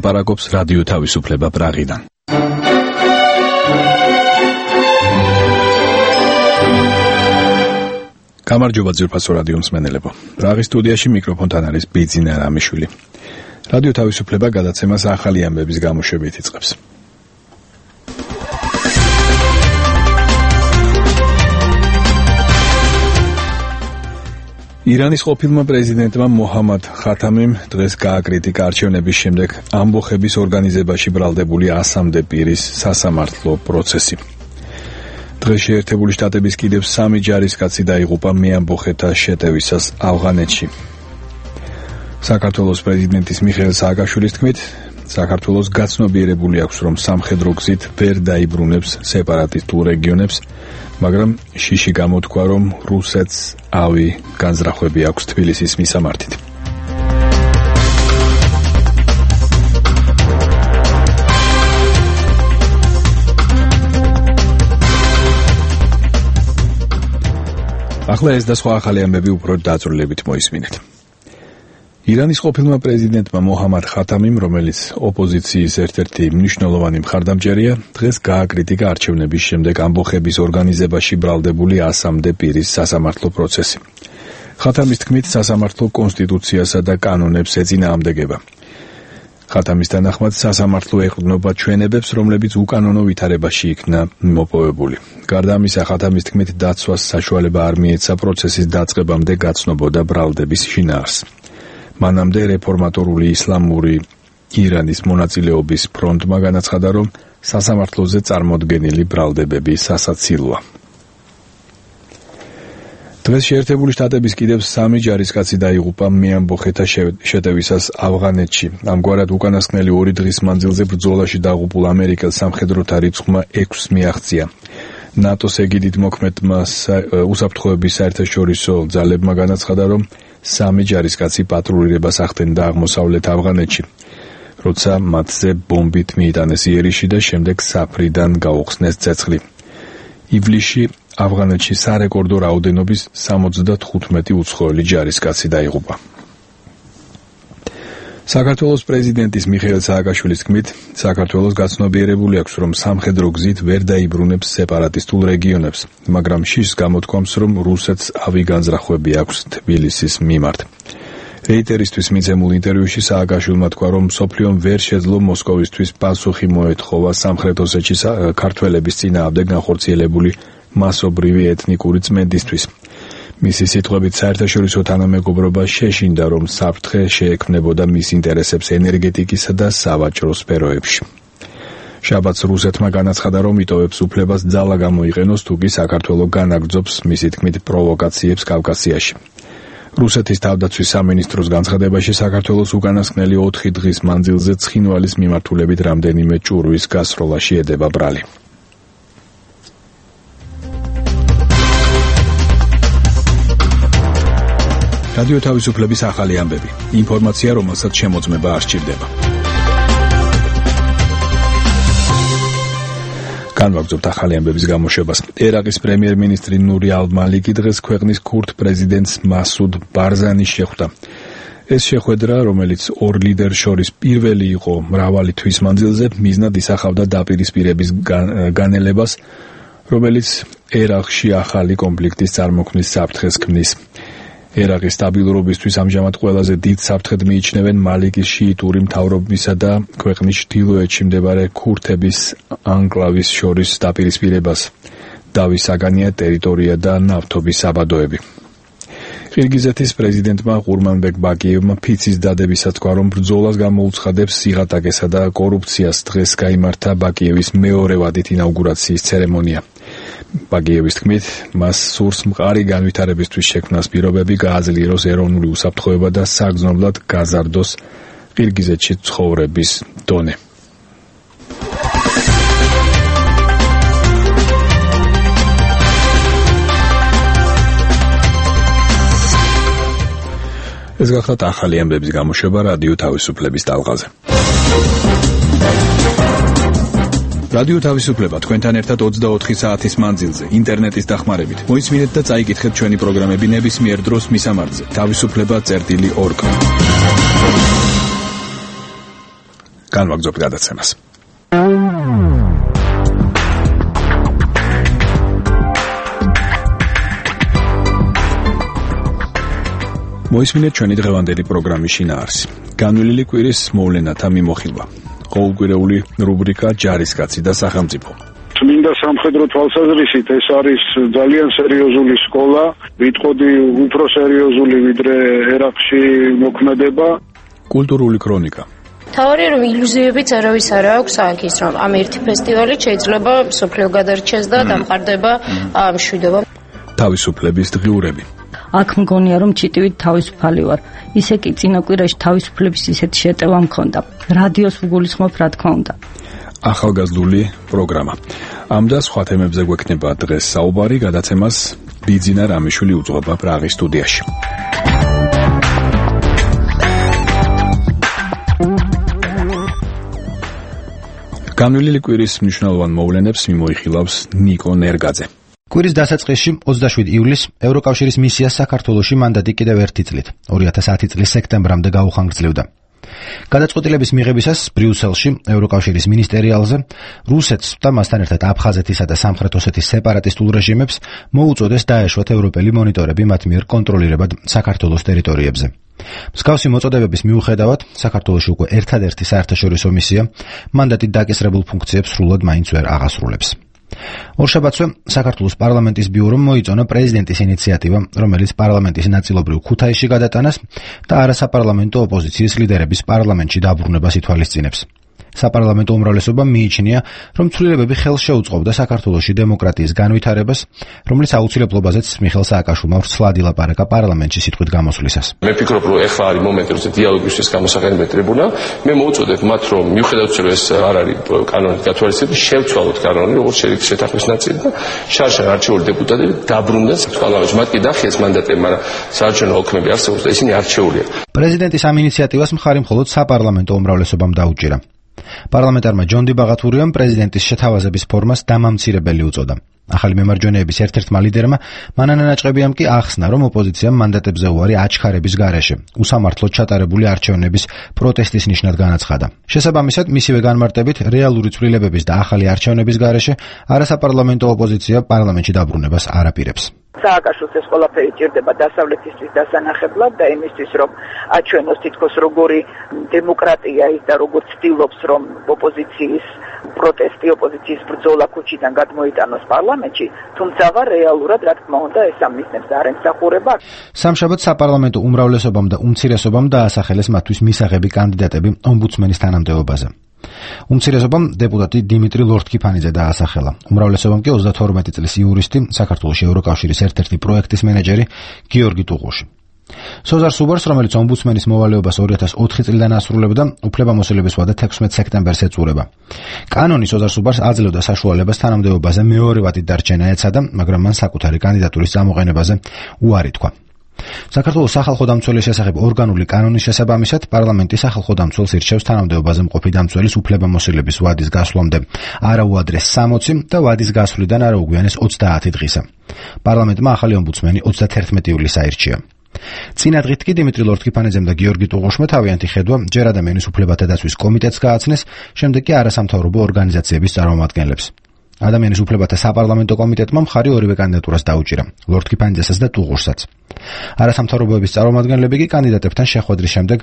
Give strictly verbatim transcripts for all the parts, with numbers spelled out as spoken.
ლაპარაკობს რადიო თავისუფლება პრაღიდან. გამარჯობა ძვირფასო რადიო მსმენელებო. პრაღის სტუდიაში მიკროფონთან არის ბიძინა რამიშვილი. რადიო თავისუფლება გადაცემას ახალი ამბების გამოშვებით იწყებს. ირანის ყოფილმა პრეზიდენტმა მოჰამად ხათამიმ დღეს გააკრიტიკა არჩევნების შემდეგ ამბოხების ორგანიზებაში ბრალდებული ასამდე პირის სასამართლო პროცესი. დღეს შეერთებული შტატების კიდევ სამი ჯარისკაცი დაიღუპა მეამბოხეთა შეტევისას ავღანეთში. საქართველოს პრეზიდენტის მიხეილ სააკაშვილის თქმით, საქართველოს გაცნობიერებული აქვს, რომ სამხედრო გზით ვერ დაიბრუნებს სეპარატისტულ რეგიონებს, მაგრამ შიში გამოთქვა, რომ რუსეთს ავი განზრახვები აქვს თბილისის მისამართით. ახლა ეს და სხვა ახალი ამბები უფრო დაწვრილებით მოისმინეთ. ირანის ყოფილმა პრეზიდენტმა მოჰამად ხათამიმ, რომელიც ოპოზიციის ერთ-ერთი მნიშვნელოვანი მხარდამჭერია, დღეს გააკრიტიკა არჩევნების შემდეგ ამბოხების ორგანიზებაში ბრალდებული ასამდე პირის სასამართლო პროცესი. ხათამის თქმით, სასამართლო კონსტიტუციასა და კანონებს ეწინააღმდეგება. ხათამის თანახმად, სასამართლო ეყრდნობა ჩვენებებს, რომლებიც უკანონო ვითარებაში იქნა მოპოვებული. გარდა ამისა, ხათამის თქმით, დაცვას საშუალება არ მიეცა პროცესის დაწყებამდე გაცნობოდა ბრალდების შინაარსს. მანამდე რეფორმატორული ისლამური ირანის მონაწილეობის ფრონტმა განაცხადა, რომ სასამართლოზე წარმოდგენილი ბრალდებები სასაცილოა. დღეს შეერთებული შტატების კიდევ სამი ჯარისკაცი დაიღუპა მეამბოხეთა შეტევისას ავღანეთში. ამგვარად უკანასკნელი ორი დღის მანძილზე ბრძოლაში დაღუპულ ამერიკელ სამხედროთა რიცხვმა ექვსს მიაღწია. ნატოს ეგიდით მოქმედმა უსაფრთხოების საერთაშორისო ძალებმა განაცხადა, რომ სამი ჯარისკაცი პატრულირებას ახდენდა აღმოსავლეთ ავღანეთში, როცა მათზე ბომბით მიიტანეს იერიში და შემდეგ საფრიდან გაუხსნეს ცეცხლი. ივლისში ავღანეთში სარეკორდო რაოდენობის სამოცდათხუთმეტი უცხოელი ჯარისკაცი დაიღუპა. საქართველოს პრეზიდენტის მიხეილ სააკაშვილის თქმით, საქართველოს გაცნობიერებული აქვს, რომ სამხედრო გზით ვერ დაიბრუნებს სეპარატისტულ რეგიონებს, მაგრამ შიშს გამოთქვამს, რომ რუსეთს ავი განზრახვები აქვს თბილისის მიმართ. რეიტერისთვის მიცემულ ინტერვიუში სააკაშვილმა თქვა, რომ მსოფლიომ ვერ შეძლო მოსკოვისთვის პასუხი მოეთხოვა სამხრეთ ოსეთში ქართველების წინააღმდეგ განხორციელებული მასობრივი ეთნიკური წმენდისთვის. მისი სიტყვებით, საერთაშორისო თანამეგობრობა შეშინდა, რომ საფრთხე შეექმნებოდა მის ინტერესებს ენერგეტიკისა და სავაჭრო სფეროებში. შაბათს რუსეთმა განაცხადა, რომ იტოვებს უფლებას ძალა გამოიყენოს, თუ კი საქართველო განაგრძობს მისი თქმით პროვოკაციებს კავკასიაში. რუსეთის თავდაცვის სამინისტროს განცხადებაში, საქართველოს უკანასკნელი ოთხი დღის მანძილზე ცხინვალის მიმართულებით რამდენიმე ჭურვის გასროლა შეედება ბრალი. რადიო თავისუფლების ახალი ამბები. ინფორმაცია, რომელსაც შემოწმება არ სჭირდება. განვაგრძობთ ახალი ამბების გამოშვებას. ერაყის პრემიერ-მინისტრი ნური ალ-მალიკი დღეს ქვეყნის ქურდ პრეზიდენტს მასუდ ბარზანის შეხვდა. ეს შეხვედრა, რომელიც ორ ლიდერს შორის პირველი იყო მრავალი თვის მანძილზე, მიზნად ისახავდა დაპირისპირების განელებას, რომელიც ერაყში ახალი კონფლიქტის წარმოქმნის საფრთხეს ქმნის. ერაყის სტაბილურობისთვის ამჟამად ყველაზე დიდ საფრთხედ მიიჩნევენ მალიკის შიიტური მთავრობისა და ქვეყნის ჩრდილოეთში მდებარე ქურთების ანკლავის შორის დაპირისპირებას. დავის საგანია ტერიტორია და ნავთობის საბადოები. ყირგიზეთის პრეზიდენტმა ყურმანბეკ ბაკიევმა ფიცის დადებისას თქვა, რომ ბრძოლას გამოუცხადებს სიღატაკესა და კორუფციას. დღეს გაიმართა ბაკიევის მეორე ვადით ინაუგურაციის ცერემონია. ბაგიევის თქმით, მას სურს მყარი განვითარებისთვის შექმნას პირობები, გააძლიეროს ეროვნული უსაფრთხოება და საგრძნობლად გაზარდოს ყირგიზეთში ცხოვრების დონე. ეს გახლავთ ახალი ამბების გამოშვება რადიო თავისუფლების ტალღაზე. რადიო თავისუფლება თქვენთან ერთად ოცდაოთხი საათის მანძილზე ინტერნეტის დახმარებით. მოისმინეთ და წაიკითხეთ ჩვენი პროგრამები ნებისმიერ დროს მისამართზე თავისუფლება წერტილი ორ. განვაგრძობთ გადაცემას. მოისმინეთ ჩვენი დღევანდელი პროგრამის შინაარსი. განვლილი კვირის მოვლენათა მიმოხილვა. ყოველკვირეული რუბრიკა ჯარისკაცი და სახელმწიფო. წმინდა სამხედრო თვალსაზრისით ეს არის ძალიან სერიოზული სკოლა, ვიტყოდი უფრო სერიოზული ვიდრე ერაყში მოქმედება. კულტურული ქრონიკა. თავარი რომ ილუზიებიც არავის არ აქვს აქ ის რომ ამ ერთი ფესტივალი შეიძლება სოფლიო გადარჩეს და დამყარდება ამ მშვიდობა. თავისუფლების დღიურები. აქ მგონია რომ ჩიტივით თავისუფალი ვარ. ისე კი წინა კვირაში თავისუფლების ისეთი შეტევა მქონდა. რადიოს ვგულისხმობ რა თქმა უნდა. ახალგაზრდული პროგრამა. ამ და სხვა თემებზე გვექნება დღეს საუბარი, გადაცემას ბიძინა რამიშვილი უძღვება პრაღის სტუდიაში. განვლილი კვირის მნიშვნელოვან მოვლენებს მიმოიხილავს ნიკო ნერგაძე. კვირის დასაწყისში ოცდაშვიდი ივლისს ევროკავშირის მისია საქართველოში მანდატი კიდევ ერთი წლით ორი ათას ათი წლის სექტემბრამდე გაუხანგრძლივდა. გადაწყვეტილების მიღებისას ბრიუსელში ევროკავშირის მინისტერიალზე რუსეთს და მასთან ერთად აფხაზეთისა და სამხრეთ ოსეთის სეპარატისტულ რეჟიმებს მოუწოდეს დაეშვათ ევროპელი მონიტორები მათ მიერ კონტროლირებად საქართველოს ტერიტორიებზე. მსგავსი მოწოდებების მიუხედავად საქართველოში უკვე ერთადერთი საერთაშორისო მისია მანდატით დაკისრებულ ფუნქციებს სრულად მაინც ვერ აღასრულებს. ორშაბათზე საქართველოს პარლამენტის ბიურომ მოიწონა პრეზიდენტის ინიციატივა, რომელიც პარლამენტის ნაწილობრივ ქუთაისში გადატანას და არასაპარლამენტო ოპოზიციის ლიდერების პარლამენტში დაბრუნებას ითვალისწინებს. საპარლამენტო უმრავლესობამ მიიჩნია, რომ ცვლილებები ხელს შეუწყობდა საქართველოში დემოკრატიის განვითარებას, რომლის აუცილებლობაზეც მიხეილ სააკაშვილმა ვრცლად ილაპარაკა პარლამენტში სიტყვით გამოსვლისას. მე ვფიქრობ, რომ ეხლა არის მომენტი, როცა დიალოგისთვის გამოსახენებელი ტრიბუნა. მე მოუწოდებ მათ, რომ მიუხედავად იმისა, რომ ეს არ არის კანონით გათვალისწინებული, შევცვალოთ კანონი, როგორც შედეგი შეთანხმების ნაწილი და შარშან არჩეული დეპუტატები დაბრუნდნენ პარლამენტში. მათ კი დახიეს მანდატები, მაგრამ საარჩევნო ოქმები არსებობს და ისინი არჩეულია. პრეზიდენტის ამ ინიციატივას მხარი მხოლოდ საპარლამენტო უმრავლესობამ დაუჭირა. პარლამენტარმა ჯონდი ბაღათურიამ პრეზიდენტის შეთავაზების ფორმას დამამცირებელი უწოდა. ახალი მემარჯვენეების ერთ-ერთმა ლიდერმა მანანა ნაჭყებიამ კი ახსნა, რომ ოპოზიციამ მანდატებზე უარი აჩქარების გარეშე უსამართლოდ ჩატარებული არჩევნების პროტესტის ნიშნად განაცხადა. შესაბამისად, მისივე განმარტებით, რეალური ცვლილებების და ახალი არჩევნების გარეშე არასაპარლამენტო ოპოზიცია პარლამენტში დაბრუნებას არ აპირებს. სააკაშვილს ეს ყველაფერი ჭირდება დასავლეთისთვის დასანახებლად და იმისთვის, რომ აჩვენოს თითქოს როგორი დემოკრატია ის და როგორ ცდილობს, რომ ოპოზიციის პროტესტი, ოპოზიციის ბრძოლა ქუჩიდან გადმოიტანოს პარლამენტში, თუმცა რეალურად, რა თქმა უნდა, ეს ამისნებს არ ემსახურება. სამშაბათ საპარლამენტო უმრავლესობამ და უმცირესობამ დაასახელეს მათთვის მისაღები კანდიდატები ომბუდსმენის თანამდებობაზე. უმცირესობამ დეპუტატი დიმიტრი ლორთქიფანიძე დაასახელა. უმრავლესობამ კი ოცდათორმეტი წლის იურისტი, საქართველოს ევროკავშირის ერთ-ერთი პროექტის მენეჯერი გიორგი ტუღუში. სოზარ სუბარს, რომელიც ომბუდსმენის მოვალეობას ორი ათას ოთხი წლიდან ასრულებდა, უფლებამოსილების ვადა თექვსმეტ სექტემბერს ეწურება. კანონი სოზარ სუბარს აძლევდა საშუალებას თანამდებობაზე მეორე ვადით დარჩენა ეცადა, მაგრამ მან საკუთარი კანდიდატურის წამოყენებაზე უარი თქვა. საქართველოს სახალხო დამცველის შესახებ ორგანული კანონის შესაბამისად პარლამენტი სახალხო დამცველს ირჩევს თანამდებობაზე მყოფი დამცველის უფლებამოსილების ვადის გასვლამდე არა უადრეს სამოცი და ვადის გასვლიდან არა უგვიანეს ოცდაათი დღისა. პარლამენტმა ახალი ომბუდსმენი ოცდათერთმეტი ივლისს აირჩია. წინა დღით კი დიმიტრი ლორთქიფანიძემ და გიორგი ტუღუშმა თავიანთი ხედვა ჯერ ადამიანის უფლებათა დაცვის კომიტეტს გააცნეს, შემდეგ კი არასამთავრობო ორგანიზაციების წარმომადგენლებს. ადამიანის უფლებათა საპარლამენტო კომიტეტმა მხარი ორივე კანდიდატურას დაუჭირა, ლორთქიფანიძესაც და ტუღუშსაც. არასამთავრობოების წარმომადგენლები კი კანდიდატებთან შეხვედრის შემდეგ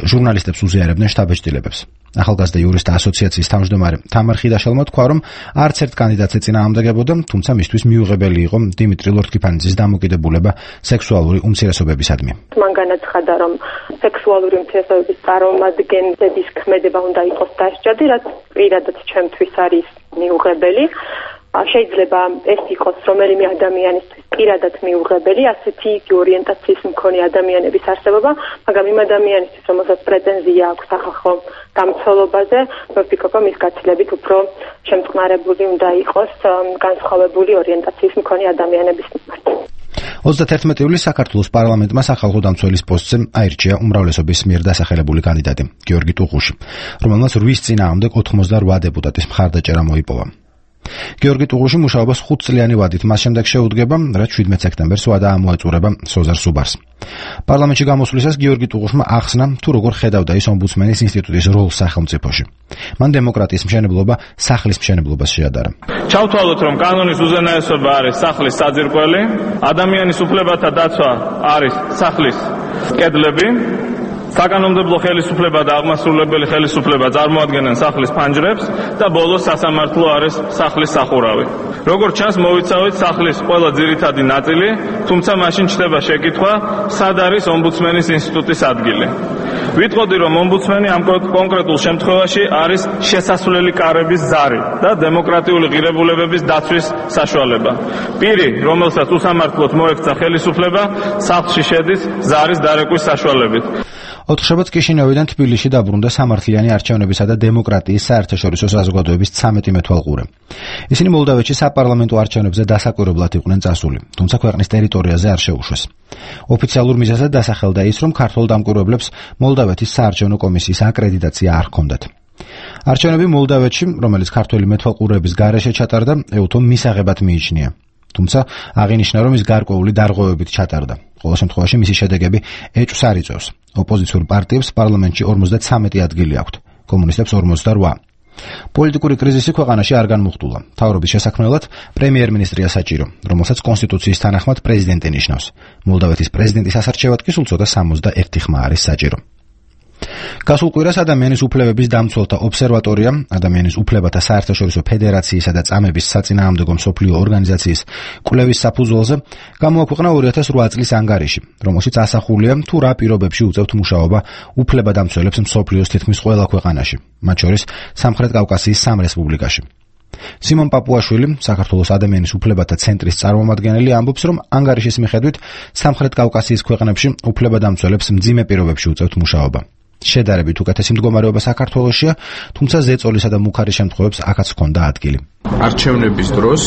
ჟურნალისტებს უზიარებდნენ შტაბ-ეჭდილებებს. ახალგაზრდა იურისტთა ასოციაციის თავმჯდომარე თამარ ხიდაშელმა თქვა, რომ არც ერთ კანდიდატს ეწინააღმდეგებოდა, თუმცა მისთვის მიუღებელი იყო დიმიტრი ლორთქიფანიძის დამოკიდებულება სექსუალური უმცირესობებისადმი. მან განაცხადა, რომ სექსუალური უმცირესობების წარმომადგენლების ქმედება უნდა იყოს დასჯადი, რაც პირადად ჩემთვის არის მიუღებელი. შეიძლება ეს იყოს რომელიმე ადამიანისთვის პირადად მიუღებელი, ასეთი ორიენტაციის მქონე ადამიანების არსებობა, მაგრამ იმ ადამიანისთვის, რომელსაც პრეტენზია აქვს სახალხო დამცველობაზე, ვფიქრობ, რომ ის გაცილებით უფრო შემწყნარებული უნდა იყოს განსხვავებული ორიენტაციის მქონე ადამიანების მიმართ. ოცდათერთმეტი ივლისს საქართველოს პარლამენტმა სახალხო დამცველის პოსტზე აირჩია უმრავლესობის მიერ დასახელებული კანდიდატი გიორგი ტუღუში, რომელმაც რვის წინააღმდეგ ოთხმოცდარვა დეპუტატის მხარდაჭერა მოიპოვა. გიორგი ტუღუში მუშაობას ხუთწლიანი ვადით მას შემდეგ შეუდგება, რაც შვიდმეტ სექტემბერს ვადა ამოეწურება სოზარ სუბარს. პარლამენტში გამოსვლისას გიორგი ტუღუშმა ახსნა, თუ როგორ ხედავდა ის ომბუდსმენის ინსტიტუტის როლს სახელმწიფოში. მან დემოკრატიის მშენებლობა სახლის მშენებლობას შეადარა. ჩავთვალოთ, რომ კანონის უზენაესობა არის სახლის საძირკველი, ადამიანის უფლებათა დაცვა არის სახლის კედლები, საკანონმდებლო ხელისუფლება და აღმასრულებელი ხელისუფლება წარმოადგენენ სახლის ფანჯრებს და ბოლოს სასამართლო არის სახლის სახურავი. როგორც ჩანს, მოვიცავით სახლის ყველა ძირითადი ნაწილი, თუმცა მაშინ ჩნდება შეკითხვა, სად არის ომბუდსმენის ინსტიტუტის ადგილი. ვიტყოდი, რომ ომბუდსმენი ამ კონკრეტულ შემთხვევაში არის შესასვლელი კარების ზარი და დემოკრატიული ღირებულებების დაცვის საშუალება. პირი, რომელსაც უსამართლოდ მოექცა ხელისუფლება, სახლში შედის ზარის დარეკვის საშუალებით. ოთხშაბათს კიშინევიდან თბილისში დაბრუნდა სამართლიანი არჩევნებისა და დემოკრატიის საერთაშორისო საზოგადოების ცამეტი მეთვალყურე. ისინი მოლდავეთში საპარლამენტო არჩევნებზე დასაკვირვებლად იყვნენ წასული, თუმცა ქვეყნის ტერიტორიაზე არ შეუშვეს. ოფიციალურ მიზეზად დასახელდა ის, რომ ქართველ დამკვირვებლებს მოლდავეთის საარჩევნო კომისიის აკრედიტაცია არ ჰქონდათ. არჩევნები მოლდავეთში, რომელიც ქართველი მეთვალყურეების გარეშე ჩატარდა, ეუთომ მისაღებად მიიჩნია. თუმცა აღინიშნა, რომ ის გარკვეული დარღვევებით ჩატარდა. ყოველ შემთხვევაში მისი შედეგები ეჭვს არ იწვევს. ოპოზიციურ პარტიებს პარლამენტში ორმოცდათვრამეტი ადგილი აქვთ, კომუნისტებს ორმოცდაოთხი. პოლიტიკური კრიზისი ქვეყანაში არ განმუხტულა. მთავრობის შესაქმნელად პრემიერ-მინისტრია საჭირო, რომელსაც კონსტიტუციის თანახმად პრეზიდენტი ნიშნავს. მოლდავეთის პრეზიდენტის ასარჩევად კი სულ ცოტა სამოცდაერთი ხმა არის საჭირო. გასულ კვირას ადამიანის უფლებების დამცველთა ობსერვატორია, ადამიანის უფლებათა საერთაშორისო ფედერაციისა და წამების საწინააღმდეგო მსოფლიო ორგანიზაციის კვლევის საფუძველზე გამოაქვეყნა ორი ათას ოთხ წლის ანგარიში, რომელშიც ასახულია, თუ რა პირობებში უწევთ მუშაობა უფლებადამცველებს მსოფლიოს თითქმის ყველა ქვეყანაში, მათ შორის სამხრეთ კავკასიის სამ რესპუბლიკაში. სიმონ პაპუაშვილი, საქართველოს ადამიანის უფლებათა ცენტრის წარმომადგენელი, ამბობს, რომ ანგარიშის მიხედვით სამხრეთ კავკასიის ქვეყნებში უფლებადამცველებს მძიმე პირობებში უწევთ მუშაობა. შედარებით უკეთესი მდგომარეობა საქართველოსშია, თუმცა ზეწოლისა და მუქარის შემთხვევებს აქაც ჰქონდა ადგილი. არჩევნების დროს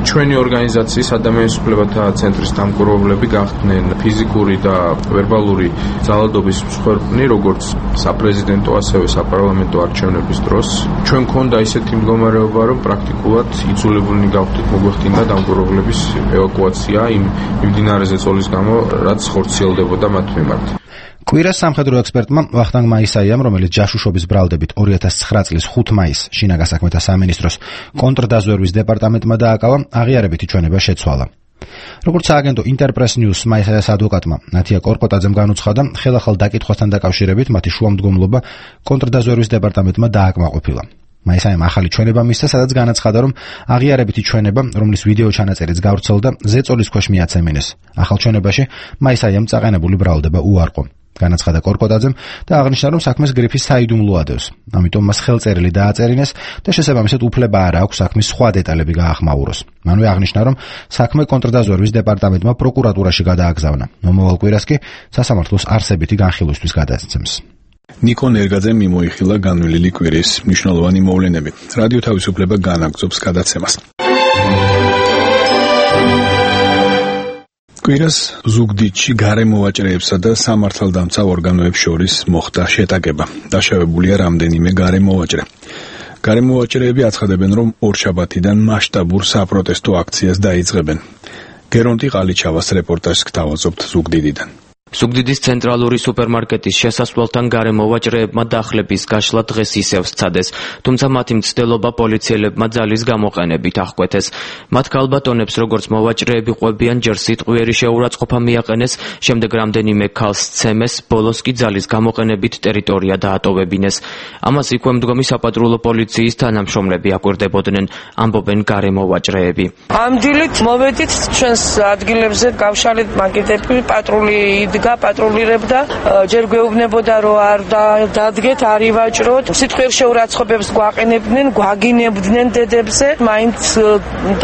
ჩვენი ორგანიზაციის ადამიანის უფლებათა ცენტრის დამკვირვებლები გახდნენ ფიზიკური და ვერბალური ძალადობის მსხვერპლი, როგორც საპრეზიდენტო, ასევე საპარლამენტო არჩევნების დროს. ჩვენ მქონდა ისეთი მდგომარეობა, რომ პრაქტიკულად იძულებულნი გავხდით მოგვეხდინა დამკვირვებლების ევაკუაცია იმ მიმდინარე ზეწოლის გამო, რაც ხორციელდებოდა მათ მიმართ. კვირას სამხედრო ექსპერტმა ვახტანგ მაისაიამ, რომელიც ჯაშუშობის ბრალდებით ორი ათას ცხრა წლის ხუთ მაისს შინაგან საქმეთა სამინისტროს კონტრდაზვერვის დეპარტამენტმა დააკავა, აღიარებითი ჩვენება შეცვალა. როგორც სააგენტო ინტერპრეს ნიუს მაისაიას ადვოკატმა ნათია კორკოტაძემ განუცხადა, ხელახალ დაკითხვასთან დაკავშირებით მათი შუამდგომლობა კონტრდაზვერვის დეპარტამენტმა დააკმაყოფილა. მაისაიამ ახალი ჩვენება მისცა, სადაც განაცხადა, რომ აღიარებითი ჩვენება, რომლის ვიდეო ჩანაწერიც გავრცელდა, ზეწოლის ქვეშ მიაცემინეს. ახალ ჩვენებაში მაისაიამ წაყენებული ბრალდება უარყო. განაცხადა კორკოტაძემ და აღნიშნა, რომ საქმეს გრიფის საიდუმლო ადევს. ამიტომ მას ხელწერილი დააწერინეს და შესაბამისად უფლება არ აქვს საქმის სხვა დეტალები გაახმაუროს. მანვე აღნიშნა, რომ საქმე კონტრდაზვერვის დეპარტამენტმა პროკურატურაში გადააგზავნა. მომავალ კვირას კი სასამართლოს არსებითი განხილვისთვის გადააცემს. ნიკო ნერგაძემ მიმოიხილა განვლილი კვირის მნიშვნელოვანი მოვლენები. რადიო თავისუფლება განაგრძობს გადაცემას. კვირას ზუგდიდში გარემოვაჭრეებსა და სამართალდამცავ ორგანოებს შორის მოხდა შეტაკება. დაშავებულია რამდენიმე გარემოვაჭრე. გარემოვაჭრეები აცხადებენ, რომ ორშაბათიდან მასშტაბურ საპროტესტო აქციას დაიწყებენ. გერონტი ყალიჩავას რეპორტაჟს გთავაზობთ ზუგდიდიდან. ზუგდიდის ცენტრალური სუპერმარკეტის შესასვლელთან გარემოვაჭრეებმა დახლების გაშლა დღეს ისევ სცადეს, თუმცა მათი მცდელობა პოლიციელებმა ძალის გამოყენებით აღკვეთეს. მათ ქალბატონებს, როგორც მოვაჭრეები ყვებიან, ჯერ სიტყვიერი შეურაცხყოფა მიაყენეს, შემდეგ რამდენიმე ქალს სცემეს, ბოლოს კი ძალის გამოყენებით ტერიტორია დაატოვებინეს. ამას იქვე მდგომი საპატრულო პოლიციის თანამშრომლები აკვირდებოდნენ, ამბობენ გარემოვაჭრეები. ამ დილით მოვედით ჩვენს ადგილებზე, გავშალეთ მაგიდები, პატრული გაპატრულირებდა, ჯერ გვეუბნებოდა, რომ არ დადგეთ, არ ივაჭროთ. სიტყვიერ შეურაცხყოფებს გვაყენებდნენ, გვაგინებდნენ დედებზე. მაინც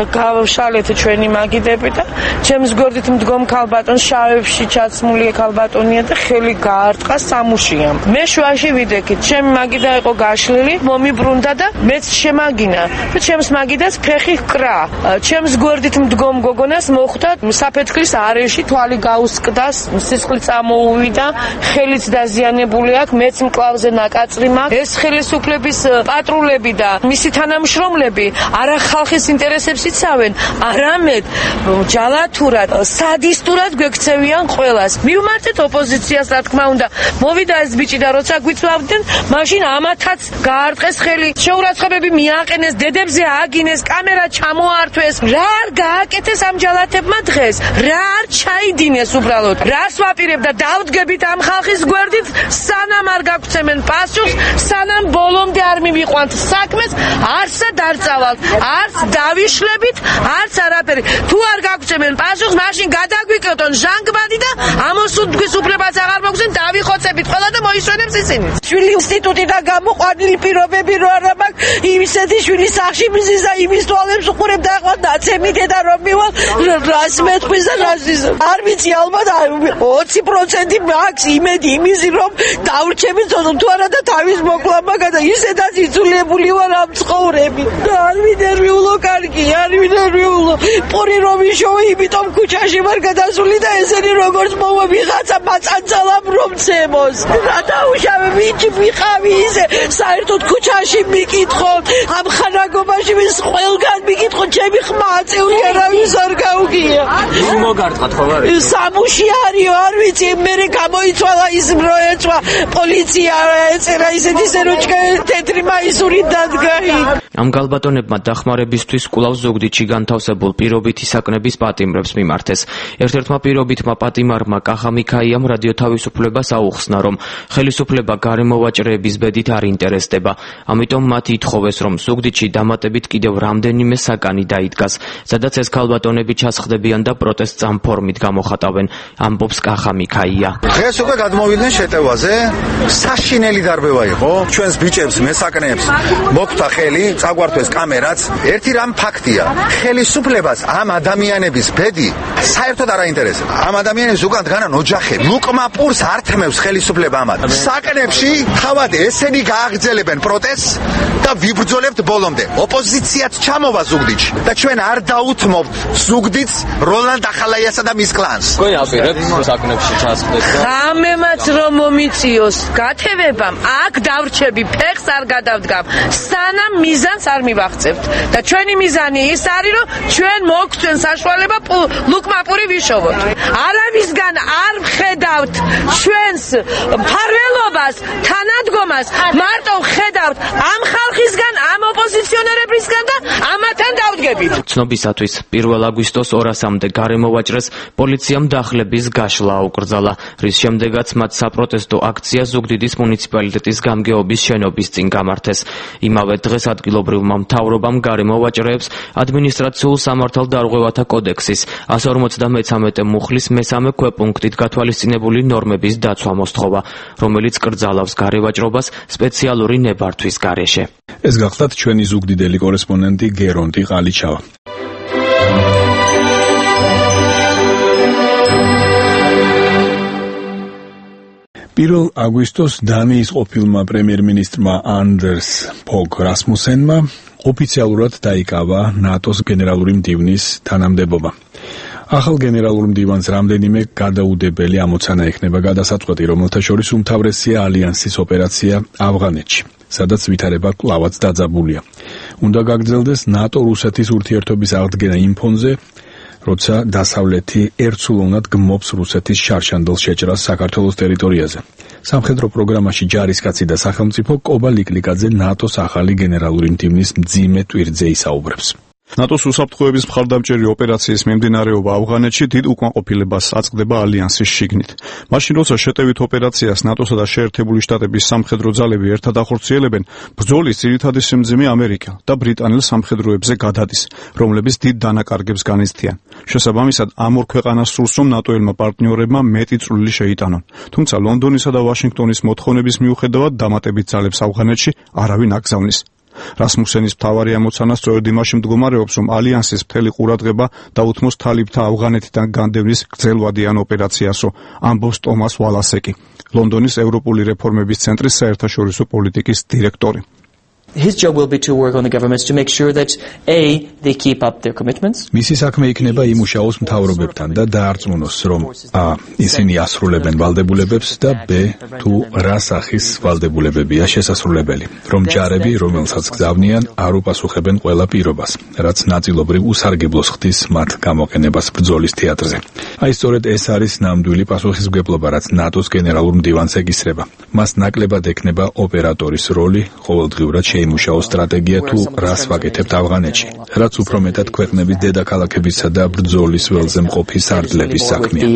გავშალეთ ჩვენი მაგიდები და ჩემს გვერდით მდგომ ქალბატონს შავებში ჩაცმული ქალბატონია და ხელი გაარტყა სამუშიამ. მე შუაში ვიდექით, ჩემი მაგიდა იყო გაშლილი, მომიბრუნდა და მეც შემაგინა. და ჩემს მაგიდას ფეხი ჰკრა. ჩემს გვერდით მდგომ გოგონას მოხვდა საფეთქლის არეში, თვალი გაუსკდა, სისხლი სახლი წამოუვიდა, ხელიც დაზიანებული აქვს, მეც მკლავზე ნაკაწრი მაქვს. ეს ხელისუფლების პატრულები და მისი თანამშრომლები არა ხალხის ინტერესებს იცავენ, არამედ ჯალათურად, სადისტურად გვექცევიან ყველას. მივმართეთ ოპოზიციას, რა თქმა უნდა, მოვიდა ეს ბიჭი და როცა გვიწვავდნენ, მაშინ ამათაც გაარტყეს ხელი, შეურაცხყოფები მიაყენეს, დედებზე აგინეს, კამერა ჩამოართვეს. რა არ გააკეთეს ამ ჯალათებმა დღეს? რა არ ჩაიდინეს უბრალოდ? რას ვაპირებ და დავდგებით ამ ხალხის გვერდით, სანამ არ გაგვცემენ პასუხს, სანამ ბოლომდე არ მივიყვანთ საქმეს, არცად არ წავალთ, არც დავიშლებით, არც არაფერი. თუ არ გაგვცემენ პასუხს, მაშინ გადაგვიკეთონ ჟანგბადი და ამოსუნთქვის უფლებას აღარ მოგცენ, დავიხოცებით ყველა და მოისვენებს ისინი. შვილი ინსტიტუტიდან გამოყვანილი პირობები რო არა მაქვს, იმისეთი შვილი სახში მიზის და იმის თვალებს უყურებ და ახლა დაცემი დედა რომ მივალ, რას მეტყვის და რას ის. არ ვიცი, ალბათ ოცი პროცენტი მაქვს იმედი იმისი რომ დავრჩები თვითონ თუ არა და თავის მოკლა მაგა და ისედაც იცულებული ვარ ამ ცხოვრები. არ მინერვიულო კარგი, არ მინერვიულო. პური რომ იშოვე, იმიტომ ქუჩაში ვარ გადასული და ესენი როგორც მოვა ვიღაცა მაწანცალამ რომ ცემოს. რა დაუშავე, ვიჭი ვიყავი ისე, საერთოდ ქუჩაში მიკითხო, ამ ხანაგობაში ვის ყველგან მიკითხო, ჩემი ხმა აწეული არავის არ გაუგია. ის მოგარტყათ ხო არა? სამუში არისო, არ ვიცი, მე გამოიცვალა ის როეცვა, პოლიცია ეწერა ისეთი სეროჭკა თეთრი მაისური დადგა. ამ გალბატონებმა დახმარებისთვის კვლავ ზუგდიდში განთავსებულ პირობითი საკნების პატიმრებს მიმართეს. ერთ-ერთმა პირობითმა პატიმარმა კახა მიქაიამ რადიო თავისუფლებას აუხსნა, რომ ხელისუფლება გარემოვაჭრეების ბედით არ ინტერესდება. ამიტომ მათ ითხოვეს, რომ ზუგდიდში დამატებით კიდევ რამდენიმე საკანი დაიდგას, სადაც ეს გალბატონები ჩასხდებიან და პროტესტს ამ ფორმით გამოხატავენ, ამბობს კახა მიქაია. დღეს უკვე გადმოვიდნენ შეტევაზე, საშინელი დარბევა იყო, ჩვენს ბიჭებს, მესაკნეებს მოგვთა ხელი, წაგვართვეს კამერაც. ერთი რამ ფაქტია, ხელისუფლებას ამ ადამიანების ბედი საერთოდ არ აინტერესებს. ამ ადამიანებს უკან დგანან ოჯახები. ლუკმა პურს არ თმევს ხელისუფლება ამათ. საკნებში თავად ესენი გააგრძელებენ პროტესტს და ვიბრძოლებთ ბოლომდე. ოპოზიციაც ჩამოვა ზუგდიდში და ჩვენ არ დაუთმობთ ზუგდიდს როლანდ ახალაიასა და მის კლანს. თქვენ აპირებთ საკნებში ჩასხდეს და ამემაც რომ მომიწიოს გათევებამ, აქ დავრჩები, ფეხს არ გადავდგამ, სანამ მიზანს არ მივახცევთ. და ჩვენი მიზანი ის არის, რომ ჩვენ მოგცენ საშუალება ლუკმა პური ვიშოვოთ. არავისგან არ ვხედავთ ჩვენს მფარველობას, თანადგომას, მარტო ვხედავთ ამ ხალხისგან, ამ ოპოზიციონერებისგან და ამათან დავდგებით. ცნობისათვის პირველ აგვისტოს ორასამდე გარემოვაჭრეს პოლიციამ დახლების გაშლა აუკრძალა, რის შემდეგაც მათ საპროტესტო აქცია ზუგდიდის მუნიციპალიტეტის გამგეობის შენობის წინ გამართეს. იმავე დღეს ადგილობრივმა მთავრობამ გარემოვაჭრეებს ადმინისტრაციულ სამართალდარღვევათა კოდექსის εκατს ორმოცდამეცამეტე მუხლის მესამე ქვეპუნქტით გათვალისწინებული ნორმების დაცვა მოსთხოვა, რომელიც კრძალავს გარევაჭრობას სპეციალური ნებართვის გარეშე. ეს გახლდათ ჩვენი ზუგდიდელი კორესპონდენტი გერონტი ყალიჩავა. პირველ აგვისტოს დანიის ყოფილმა პრემიერ-მინისტრმა ანდერს ფოგ რასმუსენმა ოფიციალურად დაიკავა ნატოს გენერალური მდივნის თანამდებობა. ახალ გენერალურ მდივანს რამდენიმე გადაუდებელი ამოცანა ექნება გადასაწყვეტი, რომელთა შორის უმთავრესია ალიანსის ოპერაცია ავღანეთში, სადაც ვითარება კვლავაც დაძაბულია. უნდა გაგრძელდეს ნატო-რუსეთის ურთიერთობის აღდგენა იმ ფონზე, როცა დასავლეთი ერთსულოვნად გმობს რუსეთის შარშანდელ შეჭრას საქართველოს ტერიტორიაზე. სამხედრო პროგრამაში ჯარისკაცი და სახელმწიფო კობა ლიკლიკაძე ნატოს ახალი გენერალური მდივნის მძიმე ტვირთზე ისაუბრებს. ნატოს უსაფრთხოების მხარდამჭერი ოპერაციის მიმდინარეობა ავღანეთში დიდ უკმაყოფილებას აწყდება ალიანსის შიგნით. მაშინ როცა შეტევით ოპერაციას ნატოსა და შეერთებული შტატების სამხედრო ძალები ერთად ახორციელებენ, ბრძოლის ძირითადი სიმძიმე ამერიკა და ბრიტანელ სამხედროებზე გადადის, რომლებიც დიდ დანაკარგებს განიცდიან. შესაბამისად, ამ ორ ქვეყანას სურს, რომ ნატოელმა პარტნიორებმა მეტი წვლილი შეიტანონ. თუმცა ლონდონისა და ვაშინგტონის მოთხოვნების მიუხედავად დამატებით ძალებს ავღანეთში არავინ აკრძალნის. რასმუსენის მთავარი ამოცანა სწორედ იმაში მდგომარეობს, რომ ალიანსის მთელი ყურადღება დაუთმოს თალიბთა ავღანეთიდან განდევნის გრძელვადიან ოპერაციასო, ამბობს ტომას ვალასეკი, ლონდონის ევროპული რეფორმების ცენტრის საერთაშორისო პოლიტიკის დირექტორი. His job will be to work on the governments to make sure that A, they keep up their commitments. მისი საქმე იქნება იმუშაოს მთავრობებთან და დაარწმუნოს, რომ A, ისინი ასრულებენ ვალდებულებებს და B, თუ რა სახის ვალდებულებებია შესასრულებელი, რომ ჯარები, რომელსაც გზავნიან, არ უპასუხებენ ყველა პირობას, რაც ნაწილობრივ უსარგებლოს ხდის მათ გამოყენებას ბრძოლის თეატრზე. აი სწორედ ეს არის ნამდვილი პასუხისმგებლობა, რაც ნატოს გენერალურ მდივანს ეკისრება. მას ნაკლებად ექნება ოპერატორის როლი, ყოველდღიურად შეიმუშაოს სტრატეგია თუ რას ვაკეთებთ ავღანეთში, რაც უფრო მეტად ქვეყნების დედაქალაქებისა და ბრძოლის ველზე მყოფი სარდლების საქმეა.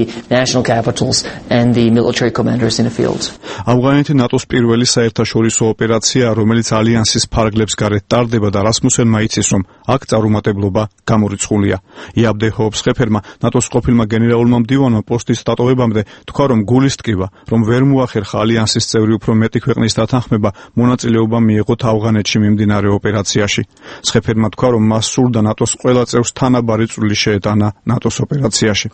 ავღანეთი ნატოს პირველი საერთაშორისო ოპერაცია, რომელიც ალიანსის ფარგლებს გარეთ ტარდება და რასმუსენმა იცის, რომ აქ წარუმატებლობა გამორიცხულია. იაბდე ჰობსხეფერმა ნატოს ყოფილმა გენერალურმა მდივანმა პოსტის დატოვებამდე თქვა, რომ გულის ტკივა, რომ ვერ მოახერხა ალიანსის წევრი უფრო მეტი ქვეყნის დათანხმება, მონაწილეობა მიიღოთ ავღანეთში მიმდინარე ოპერაციაში. სხეფერმა თქვა, რომ მას სურდა ნატოს ყველა წევრს თანაბარი წვლილი შეეტანა ნატოს ოპერაციაში.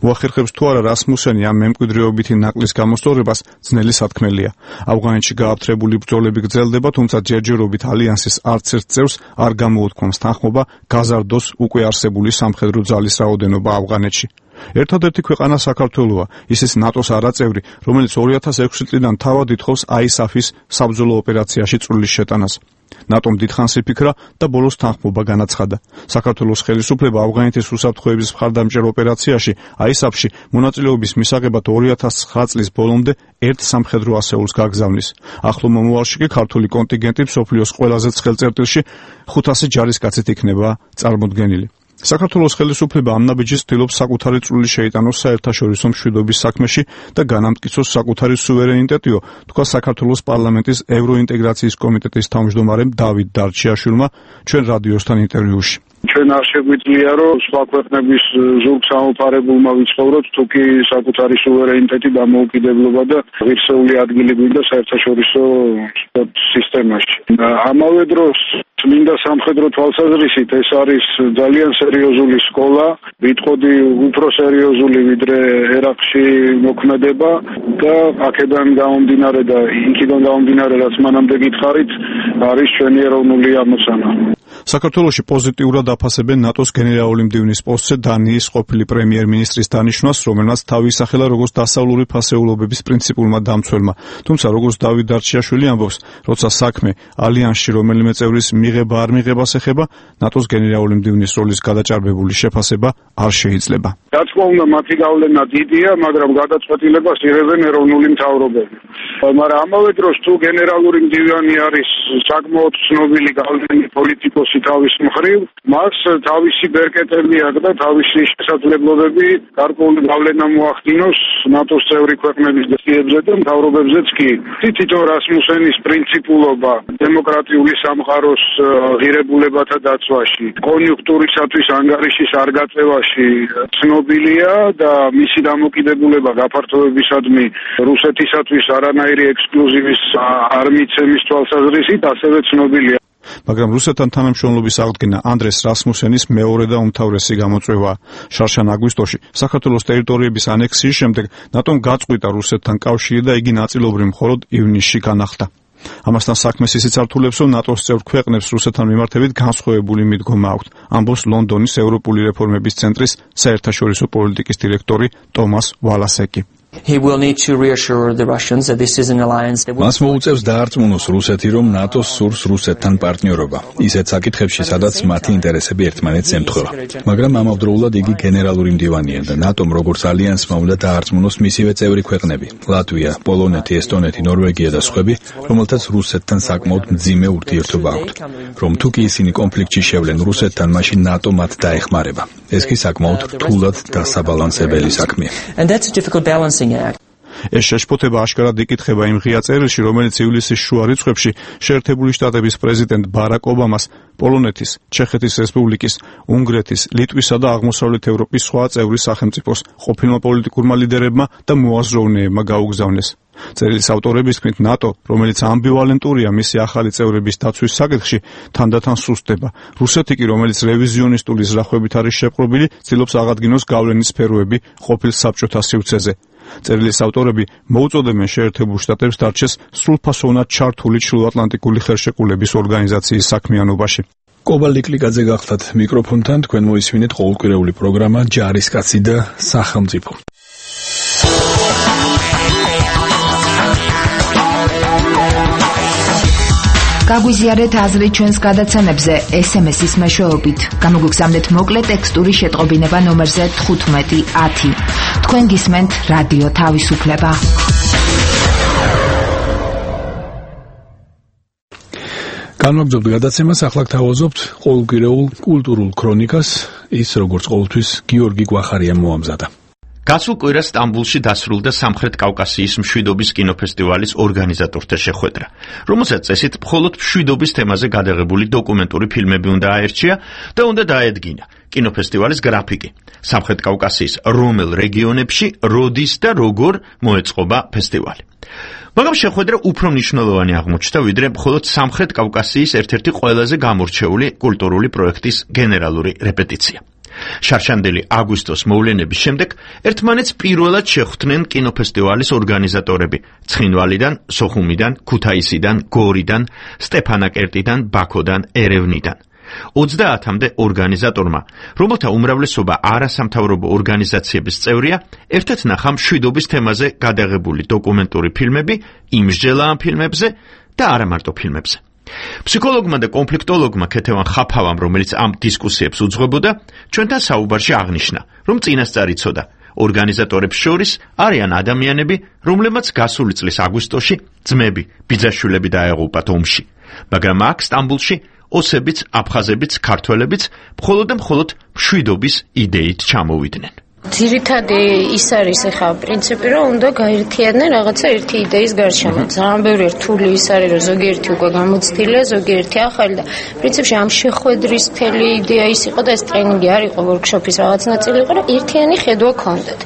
მოახერხებს თუ არა რასმუსენი ამ მემკვიდრეობითი ნაკლის გამოსწორებას ძნელი სათქმელია. ავღანეთში გააფთრებული ბრძოლები გრძელდება, თუმცა ჯერჯერობით ალიანსის არც ერთ წევრს არ გამოუთქვამს თანხმობა გაზარდოს უკვე არსებული სამხედრო ძალის რაოდენობა ავღანეთში. ერთადერთი ქვეყანა საქართველოა, ისიც ნატოს არაწევრი, რომელიც ორი ათას ექვსი წლიდან თავად ითხოვს აისაფის საბრძოლო ოპერაციაში წვლილის შეტანას. ნატომ დიდხანს იფიქრა და ბოლოს თანხმობა განაცხადა. საქართველოს ხელისუფლება ავღანეთის უსაფრთხოების მხარდამჭერ ოპერაციაში აისაფში მონაწილეობის მისაღებად ორი ათას ცხრა წლის ბოლომდე ერთ სამხედრო ასეულს გაგზავნის. ახლო მომავალში კი ქართული კონტინგენტი მსოფლიოს ყველაზე ცხელ წერტილში ხუთასი ჯარისკაცით იქნება წარმოდგენილი. საქართველოს ხელისუფლება ამ ნაბიჯის ცდილობს საკუთარი წვლილი შეიტანოს საერთაშორისო მშვიდობის საქმეში და განამტკიცოს საკუთარი სუვერენიტეტიო, თქვა საქართველოს პარლამენტის ევროინტეგრაციის კომიტეტის თავმჯდომარემ დავით დარჩიაშვილმა ჩვენ რადიოსთან ინტერვიუში. ჩვენ არ შეგვიძლია რომ სხვა ქვეყნების ზურგ სამოფარებულმა ვიცხოვროთ, თუ კი საკუთარი სუვერენიტეტი, დამოუკიდებლობა და ღირსეული ადგილი გვინდა საერთაშორისო სისტემაში. ამავე დროს წმინდა სამხედრო თვალსაზრისით ეს არის ძალიან სერიოზული სკოლა, ვიტყოდი უფრო სერიოზული ვიდრე ერაყში მოქმედება და აქედან გამომდინარე და იქიდან გამომდინარე რაც მანამდე გითხარით, არის ჩვენი ეროვნული ამოცანა. საქართველოში პოზიტიურად აფასებენ ნატოს გენერალური მდივნის პოსტზე დანიის ყოფილი პრემიერ-მინისტრის დანიშვნას, რომელმაც თავი ისახელა როგორც დასავლური ფასეულობების პრინციპულმა დამცველმა. თუმცა როგორც დავით დარჩიაშვილი ამბობს, როცა საქმე ალიანსში რომელიმე წევრის მიღება არ მიღებას ეხება, ნატოს გენერალური მდივნის როლის გადაჭარბებული შეფასება არ შეიძლება. რა თქმა უნდა, მათი გავლენა დიდია, მაგრამ გადაწყვეტილებას იღებენ ეროვნული მთავრობები. მაგრამ ამავე დროს თუ გენერალური მდივანი არის საკმაოდ ცნობილი გავლენიანი პოლიტიკოსი თავის მხრივ, მას თავისი ბერკეტები აქვს და თავისი შესაძლებლობები გარკვეული გავლენა მოახდინოს ნატოს წევრი ქვეყნების დეციებზე და მთავრობებზეც კი. თითო რასმუსენის პრინციპულობა დემოკრატიული სამყაროს ღირებულებათა დაცვაში, კონიუნქტურისათვის ანგარიშის არ გაწევაში ცნობილია და მისი დამოკიდებულება გაფართოებისადმი რუსეთისათვის არანაირი ექსკლუზივის არ მიცემის თვალსაზრისით ასევე ცნობილია. მაგრამ რუსეთთან თანამშრომლობის აღდგენა ანდრეს რასმუსენის მეორე და უმთავრესი გამოწვევაა. შარშან აგვისტოში საქართველოს ტერიტორიების ანექსიის შემდეგ ნატომ გაწყვიტა რუსეთთან კავშირი და იგი ნაწილობრივ მხოლოდ ივნისში განახლდა. ამასთან საქმეს ისიც ართულებს, რომ ნატოს წევრ ქვეყნებს რუსეთთან მიმართებით განსხვავებული მიდგომა აქვთ, ამბობს ლონდონის ევროპული რეფორმების ცენტრის საერთაშორისო პოლიტიკის დირექტორი ტომას ვალასეკი. He will need to reassure the Russians that this is an alliance that will... მას მოუწევს დაარწმუნოს რუსეთი, რომ ნატოს სურს რუსეთთან პარტნიორობა, ისეთ საკითხებში, სადაც მათი ინტერესები ერთმანეთს ემთხვევა. მაგრამ ამავდროულად იგი გენერალური მდივანია და ნატომ როგორც ალიანსმა უნდა დაარწმუნოს მისივე წევრი ქვეყნები, ლატვია, პოლონეთი, ესტონეთი, ნორვეგია და სხვები, რომელთაც რუსეთთან საკმაოდ მძიმე ურთიერთობა აქვთ. რომ თუ კი ისინი კონფლიქტში შევლენ რუსეთთან, მაშინ ნატო მათ დაეხმარება. ეს კი საკმაოდ რთულად დასაბალანსებელი საქმეა. And that's a difficult balance. ეს შეშფოთება აშკარად იკითხება იმ ღია წერილში, რომელიც ივლისის შუა რიცხვებში შეერთებული შტატების პრეზიდენტ ბარაკ ობამას, პოლონეთის, ჩეხეთის რესპუბლიკის, უნგრეთის, ლიტვისა და აღმოსავლეთ ევროპის სხვა წევრი სახელმწიფოს ყოფილმა პოლიტიკურმა ლიდერებმა და მოაზროვნეებმა გაუგზავნეს. წერილის ავტორების თქმით, ნატო, რომელიც ამბივალენტურია მისი ახალი წევრების დაცვის საკითხში, თანდათან სუსტდება. რუსეთი კი, რომელიც რევიზიონისტული ზრახვებით არის შეპყრობილი, ცდილობს აღადგინოს გავლენის სფეროები ყოფილ საბჭოთა სივრცეზე. წერილის ავტორები მოუწოდებენ შეერთებულ შტატებს დარჩეს სრულფასოვნად ჩართული ჩრდილოატლანტიკური ხელშეკრულების ორგანიზაციის საქმიანობაში. კობა ლიკლიკაძე გახდათ მიკროფონთან, თქვენ მოისმინეთ ყოველკვირეული პროგრამა ჯარისკაცი და სახელმწიფო. გაგვიზიარეთ აზრი ჩვენს გადაცემებზე ეს ემ ეს-ის მეშვეობით. გამოგგზავნეთ მოკლე ტექსტური შეტყობინება ნომერზე თხუთმეტი ათი. თქვენ გისმენთ რადიო თავისუფლება. განვაგრძობთ გადაცემას, ახლა გთავაზობთ ყოველკვირეულ კულტურულ ქრონიკას, ის როგორც ყოველთვის გიორგი გვახარიამ მოამზადა. გასულ კვირას სტამბულში დასრულდა სამხრეთ კავკასიის მშვიდობის კინოფესტივალის ორგანიზატორთა შეხვედრა, რომელსაც წესით მხოლოდ მშვიდობის თემაზე გადაღებული დოკუმენტური ფილმები უნდა აერჩია და უნდა დაედგინა კინოფესტივალის გრაფიკი, სამხრეთ კავკასიის რომელ რეგიონებში, როდის და როგორ მოეწყობა ფესტივალი. მაგრამ შეხვედრა უფრო მნიშვნელოვანი აღმოჩნდა, ვიდრე მხოლოდ სამხრეთ კავკასიის ერთ-ერთი ყველაზე გამორჩეული კულტურული პროექტის გენერალური რეპეტიცია. შარშანდელი აგვისტოს მოვლენების შემდეგ ერთმანეთს პირველად შეხვდნენ კინოფესტივალის ორგანიზატორები ცხინვალიდან, სოხუმიდან, ქუთაისიდან, გორიდან, სტეფანაკერტიდან, ბაქოდან, ერევნიდან. ოცდაათამდე ორგანიზატორმა, რომელთა უმრავლესობა არასამთავრობო ორგანიზაციების წევრია, ერთად ნახა მშვიდობის თემაზე გადაღებული დოკუმენტური ფილმები იმსჯელა ამ ფილმებზე და არა მარტო ფილმებზე. ფსიქოლოგმა და კონფლიქტოლოგმა ქეთევან ხაფავამ, რომელიც ამ დისკუსიებს უძღვებოდა, ჩვენთან საუბარში აღნიშნა, რომ წინასწარ იცოდა, ორგანიზატორებს შორის არიან ადამიანები, რომლებმაც გასული წლის აგვისტოში ძმები, ბიძაშვილები დაეღუპათ ომში, მაგრამ აქ სტამბულში ოსებიც, აფხაზებიც, ქართველებიც მხოლოდ და მხოლოდ მშვიდობის იდეით ჩამოვიდნენ. ძირითადი ის არის ახლა პრინციპი, რომ უნდა გაერთიანდნენ რაღაცა ერთი იდეის გარშემო. ძალიან ბევრი რთული ის არის, რომ ზოგიერთი უკვე გამოცდილია, ზოგიერთი ახალი და პრინციპში ამ შეხვედრის მთელი იდეა ის იყო და ეს ტრენინგი არ იყო, ვორქშოპის რაღაც ნაწილი იყო, რომ ერთიანი ხედვა გქონდეთ.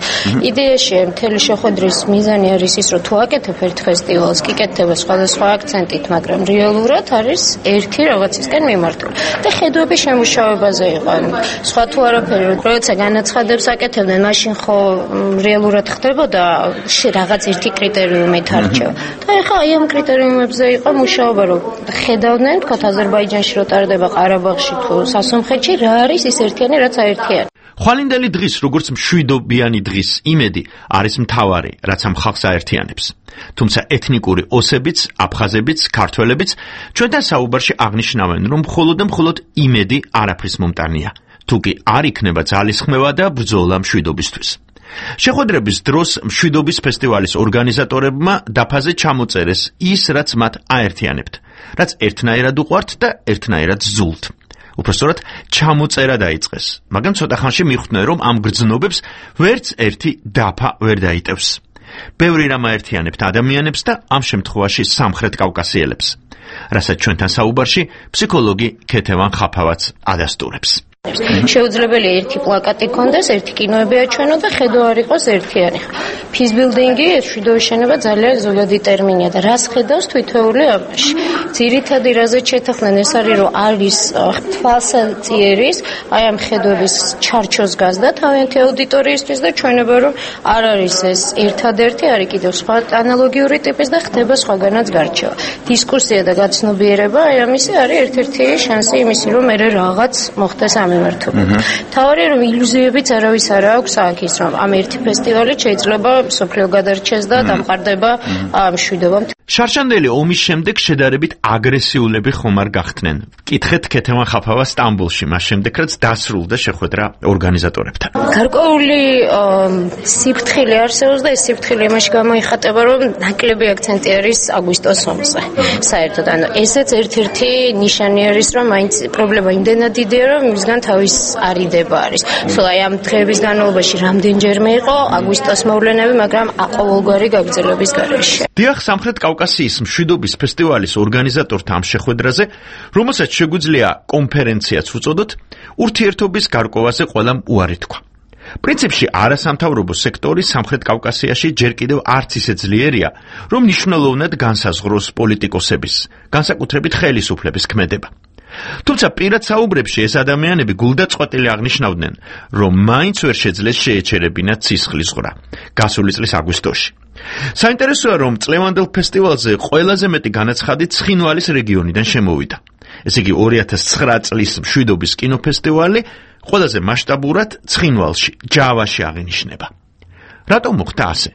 იდეაში მთელი შეხვედრის მიზანი არის ის, რომ თუ აკეთებ ერთ ფესტივალს, კი კეთდება სხვადასხვა აქცენტით, მაგრამ რეალურად არის ერთი რაღაცისკენ მიმართული. და ხედვების შემუშავებაზე იყო. სხვა თუ არაფერი, როცა განაცხადებს აკეთებ მაშინ ხო რეალურად ხდებოდა რაღაც ერთი კრიტერიუმით არჩევა. და ეხლა აი ამ კრიტერიუმებზე იყო მუშაობა, რომ ხედავდნენ, თქვა აზერბაიჯანში რო ტარდება, ყარაბაღში თუ სასომხეთში, რა არის ის ერთიანი, რაც აერთიანებს. ხვალინდელი დღის, როგორც მშვიდობიანი დღის იმედი არის მთავარი, რაც ამ ხალხს აერთიანებს. თუმცა ეთნიკური ოსებიც, აფხაზებიც, ქართველებიც ჩვენთან საუბარში აღნიშნავენ, რომ მხოლოდ და მხოლოდ იმედი არაფრის მომტანია. თუ კი არ იქნება ძალისხმევა და ბრძოლა მშვიდობისთვის. შეხვედრების დროს მშვიდობის ფესტივალის ორგანიზატორებმა დაფაზე ჩამოწერეს ის, რაც მათ აერთიანებთ, რაც ერთნაირად უყვართ და ერთნაირად ზულთ. უпростоრად ჩამოწერა დაიწყეს, მაგრამ ცოტა ხანში მიხვდნენ, რომ ამ გრძნობებს ვერც ერთი დაფა ვერ დაიტევს. ბევრი რამ აერთიანებთ ადამიანებს და ამ შემთხვევაში სამხრეთ კავკასიელებს, რასაც ჩვენთან საუბარში ფსიქოლოგი ქეთევან ხაფავაც ადასტურებს. შეუძლებელია ერთი პლაკატი გქონდეს, ერთი კინოები აჩვენო და ხედვა არ იყოს ერთიანი. ფიზბილდინგი, მშვიდობის შენება ძალიან ზოგადი ტერმინია და რას ხედავს თითოეული ამაში. ძირითადი რაზეც შეთანხმდნენ ეს არის, რომ არის თვალსაწიერის, აი ამ ხედვების ჩარჩოს გაზდა თავიანთი აუდიტორიისთვის და ჩვენება, რომ არ არის ეს ერთადერთი, არის კიდევ სხვა ანალოგიური ტიპის და ხდება სხვაგანაც გარჩევა. დისკუსია და გაცნობიერება, აი ამისი არის ერთ-ერთი შანსი იმისი, რომ მე რაღაც მოხდეს ამ მიმართულებით. თავარია რომ ილუზიებიც არავის არ აქვს აქ ის, რომ ამ ერთი ფესტივალით შეიძლება სოფლიო გადარჩეს და დამყარდება მშვიდობა. შარშანდელი ომის შემდეგ შედარებით აგრესიულები ხომ არ გახდნენ. კითხეთ ქეთევან ხაფავა სტამბულში, მას შემდეგ რაც დასრულდა შეხვედრა ორგანიზატორებთან. გარკვეული სიფრთხილე არსებობს და ეს სიფრთხილე იმაში გამოიხატება, რომ ნაკლები აქცენტი არის აგვისტოს ომზე. საერთოდ, ანუ ესეც ერთ-ერთი ნიშანი არის, რომ მაინც პრობლემა იმდენად დიდია, რომ მისგან თავის არიდება არის. სულ აი ამ დღეების განმავლობაში რამდენჯერმე იყო აგვისტოს მოვლენები, მაგრამ ყოველგვარი გაგრძელების გარეშე. დიახ, სამხრეთ კავკასიის მშვიდობის ფესტივალის ორგანიზატორთა ამ შეხვედრაზე, რომელსაც შეგვიძლია კონფერენციაც უწოდოთ, ურთიერთობის გარკვევაზე ყველამ უარი თქვა. პრინციპში არასამთავრობო სექტორი სამხრეთ კავკასიაში ჯერ კიდევ არც ისე ძლიერია, რომ მნიშვნელოვნად განსაზღვროს პოლიტიკოსების, განსაკუთრებით ხელისუფლების ქმედება. თუმცა პირად საუბრებში ეს ადამიანები გულდაწყვეტილი აღნიშნავდნენ, რომ მაინც ვერ შეძლეს შეეჩერებინათ ცისხლის ზღვრა გასული წლის აგვისტოში. საინტერესოა, რომ წლევანდელ ფესტივალზე ყველაზე მეტი განაცხადი ცხინვალის რეგიონიდან შემოვიდა. ესე იგი ორი ათას ცხრა წლის მშვიდობის კინოფესტივალი ყველაზე მასშტაბურად ცხინვალში, ჯავაში აღინიშნება. რატომ მოხდა ასე?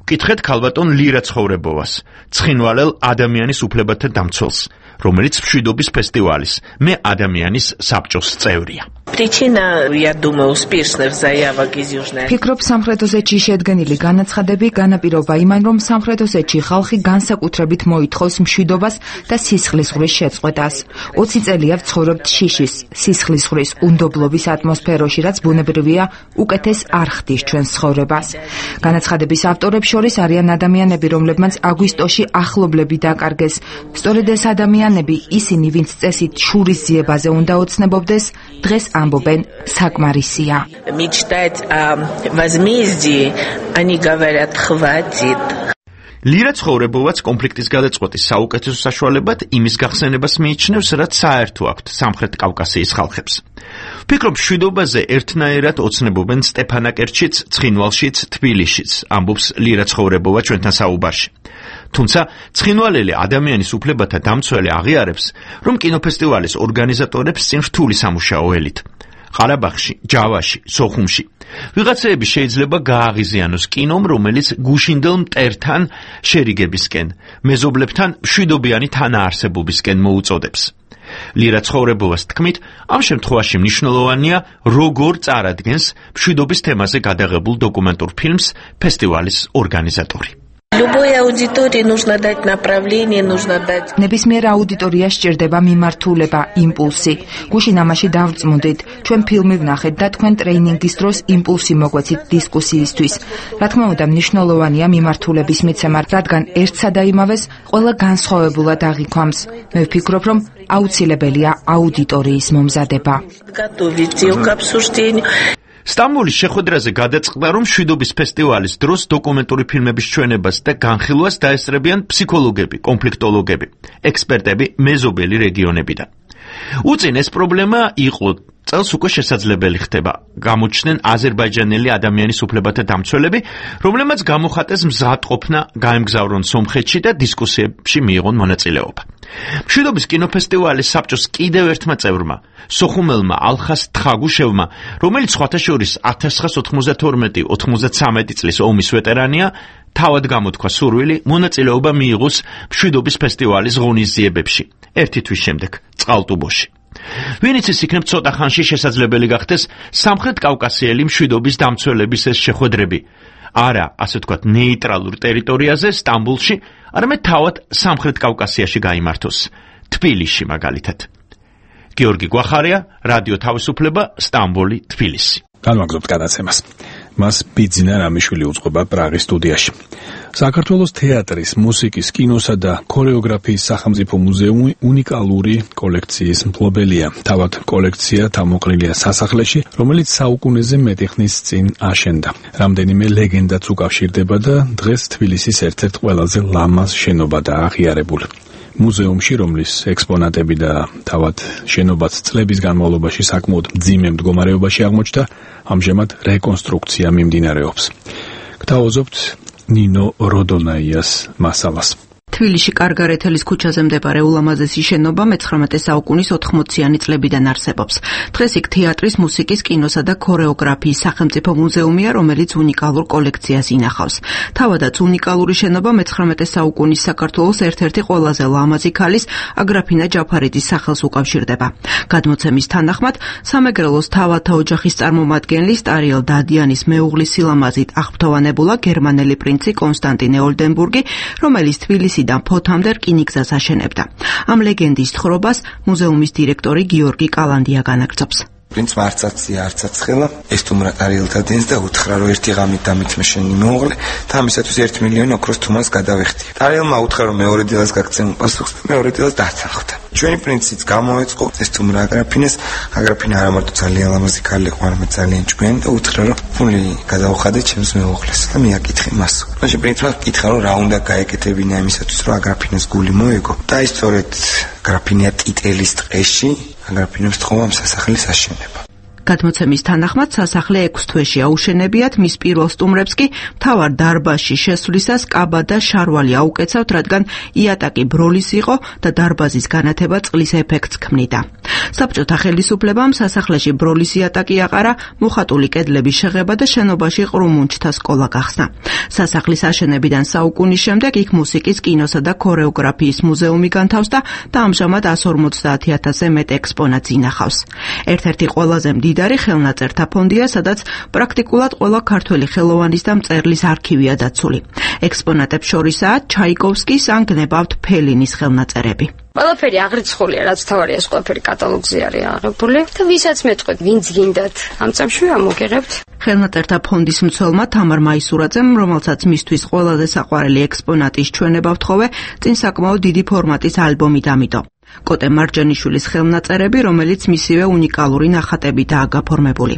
ვკითხეთ ქალბატონ ლირა ცხოვრებოვას, ცხინვალელ ადამიანის უფლებათა დამცველს, რომელიც მშვიდობის ფესტივალის მე ადამიანის საბჭოს წევრია. Причина, я думаю, успешных заявок из Южной. Ფიქრობ, სამხრეთ ოსეთში შედგენილი განაცხადები განაპირობა იმან, რომ სამხრეთ ოსეთში ხალხი განსაკუთრებით მოითხოვს მშვიდობას და სისხლისღვრის შეწყვეტას. ოცი წელია ვცხოვრობთ შიშის, სისხლისღვრის, უნდობლობის ატმოსფეროში, რაც ბუნებრივია, უკეთეს არ ხდის ჩვენს ცხოვრებას. განაცხადების ავტორებს შორის არიან ადამიანები, რომლებმაც აგვისტოში ახლობლები დაკარგეს. სწორედ ეს ადამიანები, ისინი, ვინც წესით შურის ძიებაზე უნდა ოცნებობდეს, დღეს ამბობენ საკმარისია. Мечтать о возмездии, они говорят, хватит. ლირა ცხოვრებოვაც კონფლიქტის გადაწყვეტის საუკეთესო საშუალებად იმის გახსენებას მიიჩნევს, რაც საერთო აქვთ სამხრეთ კავკასიის ხალხებს. ვფიქრობ, მშვიდობაზე ერთნაირად ოცნებობენ სტეფანაკერტშიც, ცხინვალშიც, თბილისშიც, ამბობს ლირა ცხოვრებოვა ჩვენთან საუბარში. თუმცა ცხინვალელი ადამიანის უფლებათა დამცველი აღიარებს, რომ კინოფესტივალის ორგანიზატორებს წინ რთული სამუშაო ელით. ყარაბაღში, ჯავაში, სოხუმში. ვიღაცეები შეიძლება გააღიზიანოს კინომ, რომელიც გუშინდელ მტერთან შერიგებისკენ, მეზობლებთან მშვიდობიანი თანაარსებობისკენ მოუწოდებს. ლირა ცხოვრებოვას თქმით, ამ შემთხვევაში მნიშვნელოვანია, როგორ წარადგენს მშვიდობის თემაზე გადაღებულ დოკუმენტურ ფილმს ფესტივალის ორგანიზატორი. Любой аудитории нужно дать направление, нужно дать. ნებისმიერ აუდიტორიას სჭირდება მიმართულება, იმპულსი. გუშინ ამაში დავწმუნდით, ჩვენ ფილმი ვნახეთ და თქვენ ტრეინინგის დროს იმპულსი მოგვეცით დისკუსიისთვის. რა თქმა უნდა, მნიშვნელოვანია მიმართულების მიცემა, რადგან ერთსა და იმავეს ყველა განსხვავებულად აღიქვამს. მე ვფიქრობ, რომ აუცილებელია აუდიტორიის მომზადება. Готовить ее к обсуждению. სტამბოლის შეხვედრაზე გადაწყდა, რომ მშვიდობის ფესტივალის დროს დოკუმენტური ფილმების ჩვენებას და განხილვას დაესწრებიან ფსიქოლოგები, კონფლიქტოლოგები, ექსპერტები მეზობელი რეგიონებიდან. უწინ ეს პრობლემა იყო წელს უკვე შესაძლებელი ხდება, გამოჩნდნენ აზერბაიჯანელი ადამიანის უფლებათა დამცველები, რომლებმაც გამოხატეს მზადყოფნა გაემგზავრონ სომხეთში და დისკუსიებში მიიღონ მონაწილეობა. მშვიდობის კინოფესტივალის საბჭოს კიდევ ერთმა წევრმა, სოხუმელმა ალხას თხაგუშევმა, რომელიც სხვათა შორის ათას ცხრაასა ოცდათორმეტი ოცდათვრამეტი წლის ომის ვეტერანია, თავად გამოთქვა სურვილი მონაწილეობა მიიღოს მშვიდობის ფესტივალის ღონისძიებებში, ერთი თვის შემდეგ, წყალტუბოში. ვინც ის იქნებ ცოტა ხანში შესაძლებელი გახდეს სამხრეთ კავკასიელი მშვიდობის დამცველების ეს შეხვედრები. არა, ასე ვთქვათ, ნეიტრალურ ტერიტორიაზე, სტამბოლში, არამედ თავად სამხრეთ კავკასიაში გაიმართოს, თბილისში მაგალითად. გიორგი გვახარია, რადიო თავისუფლება, სტამბოლი, თბილისი. განვაგრძობთ გადაცემას. მას ბიძინა რამიშვილი უძღვება პრაღის სტუდიაში. საქართველოს თეატრის, მუსიკის, კინოსა და ქორეოგრაფიის სახელმწიფო მუზეუმი უნიკალური კოლექციის მფლობელია. თავად კოლექცია თავმოყრილია სასახლეში, რომელიც საუკუნეზე მეტი ხნის წინ აშენდა. რამდენიმე ლეგენდაც უკავშირდება და დღეს თბილისის ერთ-ერთ ყველაზე ლამაზ შენობადაა აღიარებული. მუზეუმში, რომლის ექსპონატები და თავად შენობაც წლების განმავლობაში საკმაოდ მძიმე მდგომარეობაში აღმოჩნდა, ამჟამად რეკონსტრუქცია მიმდინარეობს. გთავაზობთ ნინო როდონაიას მასალას. თბილისში კარგარეთელის ქუჩაზე მდებარე ულამაზესი შენობა მეცხრამეტე საუკუნის ოთხმოციანი წლებიდან არსებობს. დღეს იქ თეატრის, მუსიკის, კინოსა და ქორეოგრაფიის სახელმწიფო მუზეუმია, რომელიც უნიკალურ კოლექციას ინახავს. თავადაც უნიკალური შენობა მეცხრამეტე საუკუნის საქართველოს ერთ-ერთი ყველაზე ლამაზი ქალის აგრაფინა ჯაფარიძის სახელს უკავშირდება. გადმოცემის თანახმად, სამეგრელოს თავათა ოჯახის წარმომადგენლის ტარიელ დადიანის მეუღლის სილამაზით აღფრთოვანებულა გერმანელი პრინცი კონსტანტინე ოლდენბურგი, რომელიც თბილისიდან ფოთამდე რკინიგზას აშენებდა. ამ ლეგენდის თხრობას მუზეუმის დირექტორი გიორგი კალანდია განაგრძობს. პრინცმა არცაცია არცაცხელა ეს თუმრა ტარიელთადენს და უთხრა რომ ერთი ღამით დამით მე შენი მოუღლე და ამისათვის ერთი მილიონი ოქროს თუმას გადავეხტი. ტარიელმა უთხრა რომ მეორე დილას გაგცემ პასუხს და მეორე დილას დაცალხდა. ჩვენი პრინციც გამოეწყო ეს თუმრა აგრაფინეს აგრაფინა არა მარტო ძალიან ლამაზი ქალი იყო, არამედ ძალიან ჭკვიანი და უთხრა რომ ფული გადავხადე ჩემს მეუღლეს და მე აკითხე მას. მაშინ პრინცმა კითხა რომ რა უნდა გაეკეთებინა იმისათვის რომ აგრაფინეს გული მოეგო და ის სწორედ აგრაფინია ტიტელის ტყეში აგრაფინებს თხოვა ამ სასახლის აშენება. გადმოცემის თანახმად სასახლე ექვს თვეში აუშენებიათ, მის პირველ სტუმრებს კი მთავარ დარბაზში შესვლისას კაბა და შარვალი აუკეცავთ, რადგან იატაკი ბროლის იყო და დარბაზის განათება წყლის ეფექტს ქმნიდა. საბჭოთა ხელისუფლებამ სასახლეში ბროლის იატაკი აყარა, მოხატული კედლების შეღება და შენობაში ყრუმუნჩთა სკოლა გახსნა. სასახლის აშენებიდან საუკუნის შემდეგ იქ მუსიკის, კინოსა და ქორეოგრაფიის მუზეუმი განთავს და ამჟამად εκατს ორმოცდაათი ათასზე მეტ ექსპონატს ინახავს. ერთ-ერთი ყველაზე მდიდარი ხელნაწერთა ფონდია, სადაც პრაქტიკულად ყველა ქართველი ხელოვანის და მწერლის არქივია დაცული. ექსპონატებს შორისაა ჩაიკოვსკის ან გნებავთ ფელინის ხელნაწერები. ყველაფერი აღრიცხულია, რაც თავარია, ეს ყველაფერი კატალოგზე არის აღებული და ვისაც მეტყვით, ვინც გინდათ, ამ წამში ამოგიღებთ. ხელნაწერთა ფონდის მცველმა თამარ მაისურაძემ, რომელსაც მისთვის ყველაზე საყვარელი ექსპონატის ჩვენება ვთხოვე, წინ საკმაოდ დიდი ფორმატის ალბომი დამიდო. კოტე მარჯანიშვილის ხელნაწერები, რომელიც მისივე უნიკალური ნახატებითაა გაფორმებული.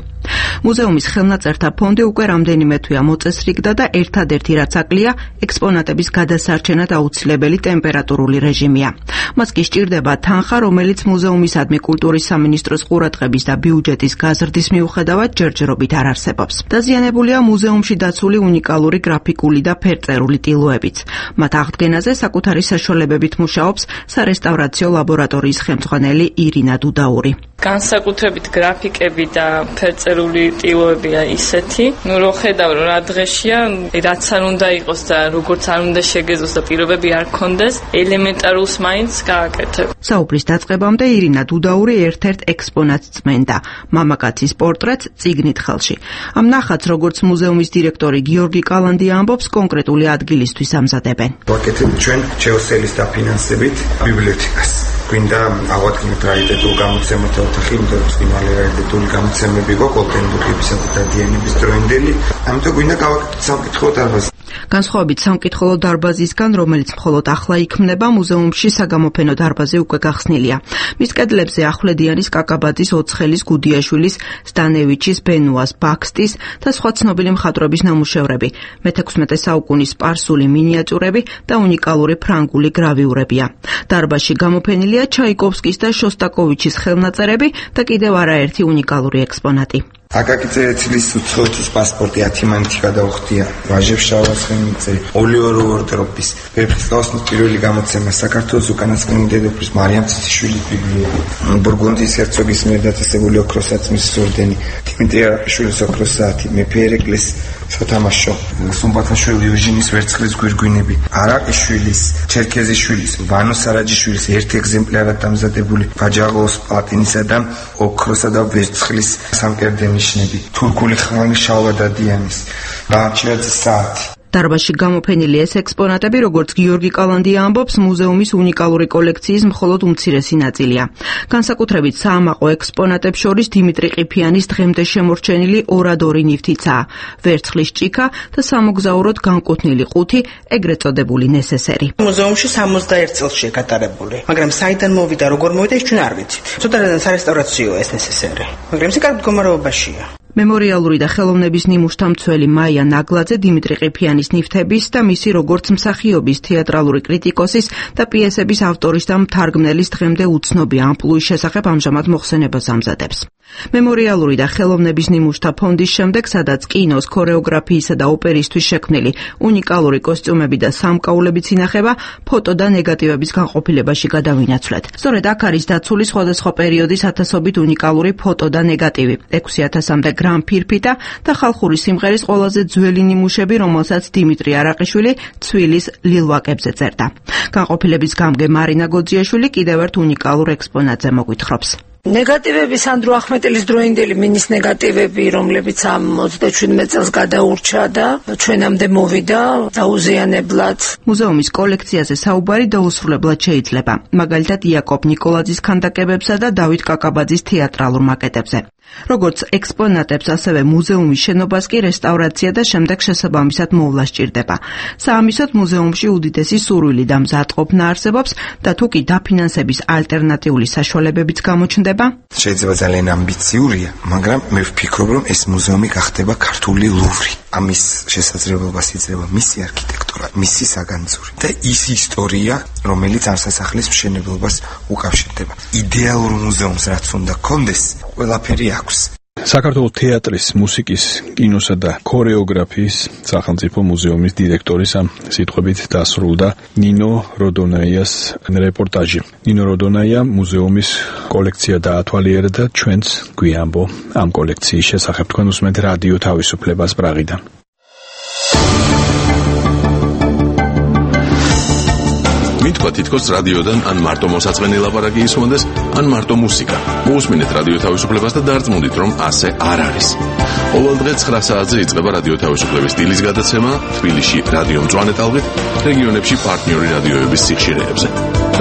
მუზეუმის ხელნაწერთა ფონდი უკვე რამდენიმე თვეა მოწესრიგდა და ერთადერთი რაც აკლია, ექსპონატების გადასარჩენად აუცილებელი ტემპერატურული რეჟიმია. მას კი სჭირდება თანხა, რომელიც მუზეუმისადმი კულტურის სამინისტროს ყურადღების და ბიუჯეტის გაზრდის მიუხედავად ჯერჯერობით არ არსებობს. დაზიანებულია მუზეუმში დაცული უნიკალური გრაფიკული და ფერწერული ტილოებიც. მათ აღდგენაზე საკუთარი საშუალებებით მუშაობს სარესტავრაციო ლაბორატორიის ხელმძღვანელი ირინა დუდაური. განსაკუთრებით გრაფიკები და ფერწერული ტილოებია ისეთი, ნუ რო ხედავ რომ რა დღეშია, რაც არ უნდა იყოს და როგორც არ უნდა შეგეძლოს და პირობები არ ქონდეს, ელემენტარულს მაინც გააკეთებ. საუბრის დაწყებამდე ირინა დუდაური ერთ-ერთ ექსპონატს წმენდა, მამაკაცის პორტრეტს წიგნით ხელში. ამ ნახატს, როგორც მუზეუმის დირექტორი გიორგი კალანდია ამბობს, კონკრეტული ადგილისთვის ამზადებენ. ვაკეთებ ჩვენ ჩეოსელის დაფინანსებით ბიბლიოთეკას. გვინდა ავადგინოთ რაიტეტულ გამოცემათა ოთახი, იმიტომ რომ წინვალე რაიტეტული გამოცემები გვაქვს ოლდენბურგებისა და დადიანების დროინდელი, ამიტომ გვინდა გავაკეთოთ სამკითხველო დარბაზი. განსხვავებით სამკითხველო დარბაზისგან, რომელიც მხოლოდ ახლა იქმნება, მუზეუმში საგამოფენო დარბაზი უკვე გახსნილია. მის კედლებზე ახვლედიანის, კაკაბაძის, ოცხელის, გუდიაშვილის, სტანევიჩის, ბენუას, ბაქსტის და სხვა ცნობილი მხატვრების ნამუშევრები, მეთექვსმეტე საუკუნის სპარსული მინიატიურები და უნიკალური ფრანგული გრავიურებია. დარბაზში გამოფენილია ჩაიკოვსკის და შოსტაკოვიჩის ხელნაწერები და კიდევ არაერთი უნიკალური ექსპონატი. აკაკი წერეთლის უცხოეთის პასპორტი ათიმანეთი გადაუხდია, ვაჟებ შავასხენიძე, ოლივერ უორდროპის, ვეფხისტყაოსნის პირველი გამოცემა, საქართველოს უკანასკნელი დედოფლის მარიამ ციციშვილის ბიბლიები, ბურგუნდიის ჰერცოგის მიერ დაწესებული ოქროსაცმლის ორდენი, დიმიტრი არაყიშვილის ოქროს საათი, მეფე ერეკლეს სათამაშო, სუმბათაშვილი იუჟინის ვერცხლის გვირგვინები, არაყიშვილის, ჩერქეზიშვილის, ვანო სარაჯიშვილის ერთ ეგზემპლარად დამზადებული ვაჯაღოს პლატინისა და ოქროსა და ვერცხლის სამკერდენი ნიშნები, თურქული ხმალი შალვა დადიანის, ბაჩიაძის საათი. დარბაზში გამოფენილი ეს ექსპონატები, როგორც გიორგი კალანდია ამბობს, მუზეუმის უნიკალური კოლექციის მხოლოდ უმცირესი ნაწილია. განსაკუთრებით საამაყო ექსპონატებს შორის დიმიტრი ყიფიანის დღემდე შემორჩენილი ორადორი ნივთიცაა, ვერცხლის ჭიქა და სამოგზაუროდ განკუთვნილი ყუთი, ეგრეთ წოდებული ნესესერი. მუზეუმში სამოცდაერთ წელსია გატარებული, მაგრამ საიდან მოვიდა, როგორ მოვიდა, ის ჩვენ არ ვიცით. ცოტა სარესტავრაციოა ეს ნესესერი, მაგრამ ის კარგ მდგომარეობაშია. მემორიალური და ხელოვნების ნიმუშთა მცველი მაია ნაგლაძე დიმიტრი ყიფიანის ნივთების და მისი როგორც მსახიობის, თეატრალური კრიტიკოსის და პიესების ავტორის და მთარგმნელის დღემდე უცნობი ამპლუის შესახებ ამჟამად მოხსენებას ამზადებს. მემორიალური და ხელოვნების ნიმუშთა ფონდის შემდეგ, სადაც კინოს, ქორეოგრაფიისა და ოპერისთვის შექმნილი უნიკალური კოსტიუმები და სამკაულებიც ინახება, ფოტო და ნეგატივების განყოფილებაში გადავინაცვლეთ. სწორედ აქ არის დაცული სხვადასხვა პერიოდის ათასობით უნიკალური ფოტო და ნეგატივი, ექვსი ათასამდე გრამ ფირფიტა და ხალხური სიმღერის ყველაზე ძველი ნიმუშები, რომელსაც დიმიტრი არაყიშვილი ცვილის ლილვაკებზე წერდა. განყოფილების გამგე მარინა გოძიაშვილი კიდევ ერთ უნიკალურ ექსპონატზე მოგვითხრობს. ნეგატივები სანდრო ახმეტელის დროინდელი მინის ნეგატივები, რომლებიც ამ ოცდაშვიდმეტ წელს გადაურჩა და ჩვენამდე მოვიდა დაუზიანებლად. მუზეუმის კოლექციაზე საუბარი დაუსრულებლად შეიძლება, მაგალითად იაკობ ნიკოლაძის ქანდაკებებსა და დავით კაკაბაძის თეატრალურ მაკეტებზე. როგორც ექსპონატებს, ასევე მუზეუმის შენობას კი რესტავრაცია და შემდეგ შესაბამისად მოვლა სჭირდება. საამისოდ მუზეუმში უდიდესი სურვილი და მზადყოფნა არსებობს და თუ კი დაფინანსების ალტერნატიული საშუალებებიც გამოჩნდება, შეიძლება ძალიან ამბიციურია, მაგრამ მე ვფიქრობ, რომ ეს მუზეუმი გახდება ქართული ლუვრი. ამის შესაძლებლობას იძლევა მისი არქიტექტურა, მისი საგანძური და ის ისტორია, რომელიც ამ სასახლის მშენებლობას უკავშირდება. იდეალურ მუზეუმს რაც უნდა გქონდეს, ყველაფერი აქვს. საქართველოს თეატრის, მუსიკის, კინოსა და ქორეოგრაფიის სახელმწიფო მუზეუმის დირექტორის ამ სიტყვებით დასრულდა ნინო როდონაიას რეპორტაჟი. ნინო როდონაია მუზეუმის კოლექცია დაათვალიერა და ჩვენც გვიამბო ამ კოლექციის შესახებ. თქვენ უსმენთ რადიო თავისუფლებას პრაღიდან. მითქვა თითქოს რადიოდან ან მარტო მოსაწყენი ლაპარაკი ისმონდეს, ან მარტო მუსიკა. მოусმინეთ რადიო თავისუფლებას და დარწმუნდით, რომ ასე არ არის. ყოველ დღე ცხრა საათზე იწყება რადიო თავისუფლების დილის გადაცემა თბილისში რადიო მწვანე ტალღით, რეგიონებში პარტნიორი რადიოების სიხშირეებზე.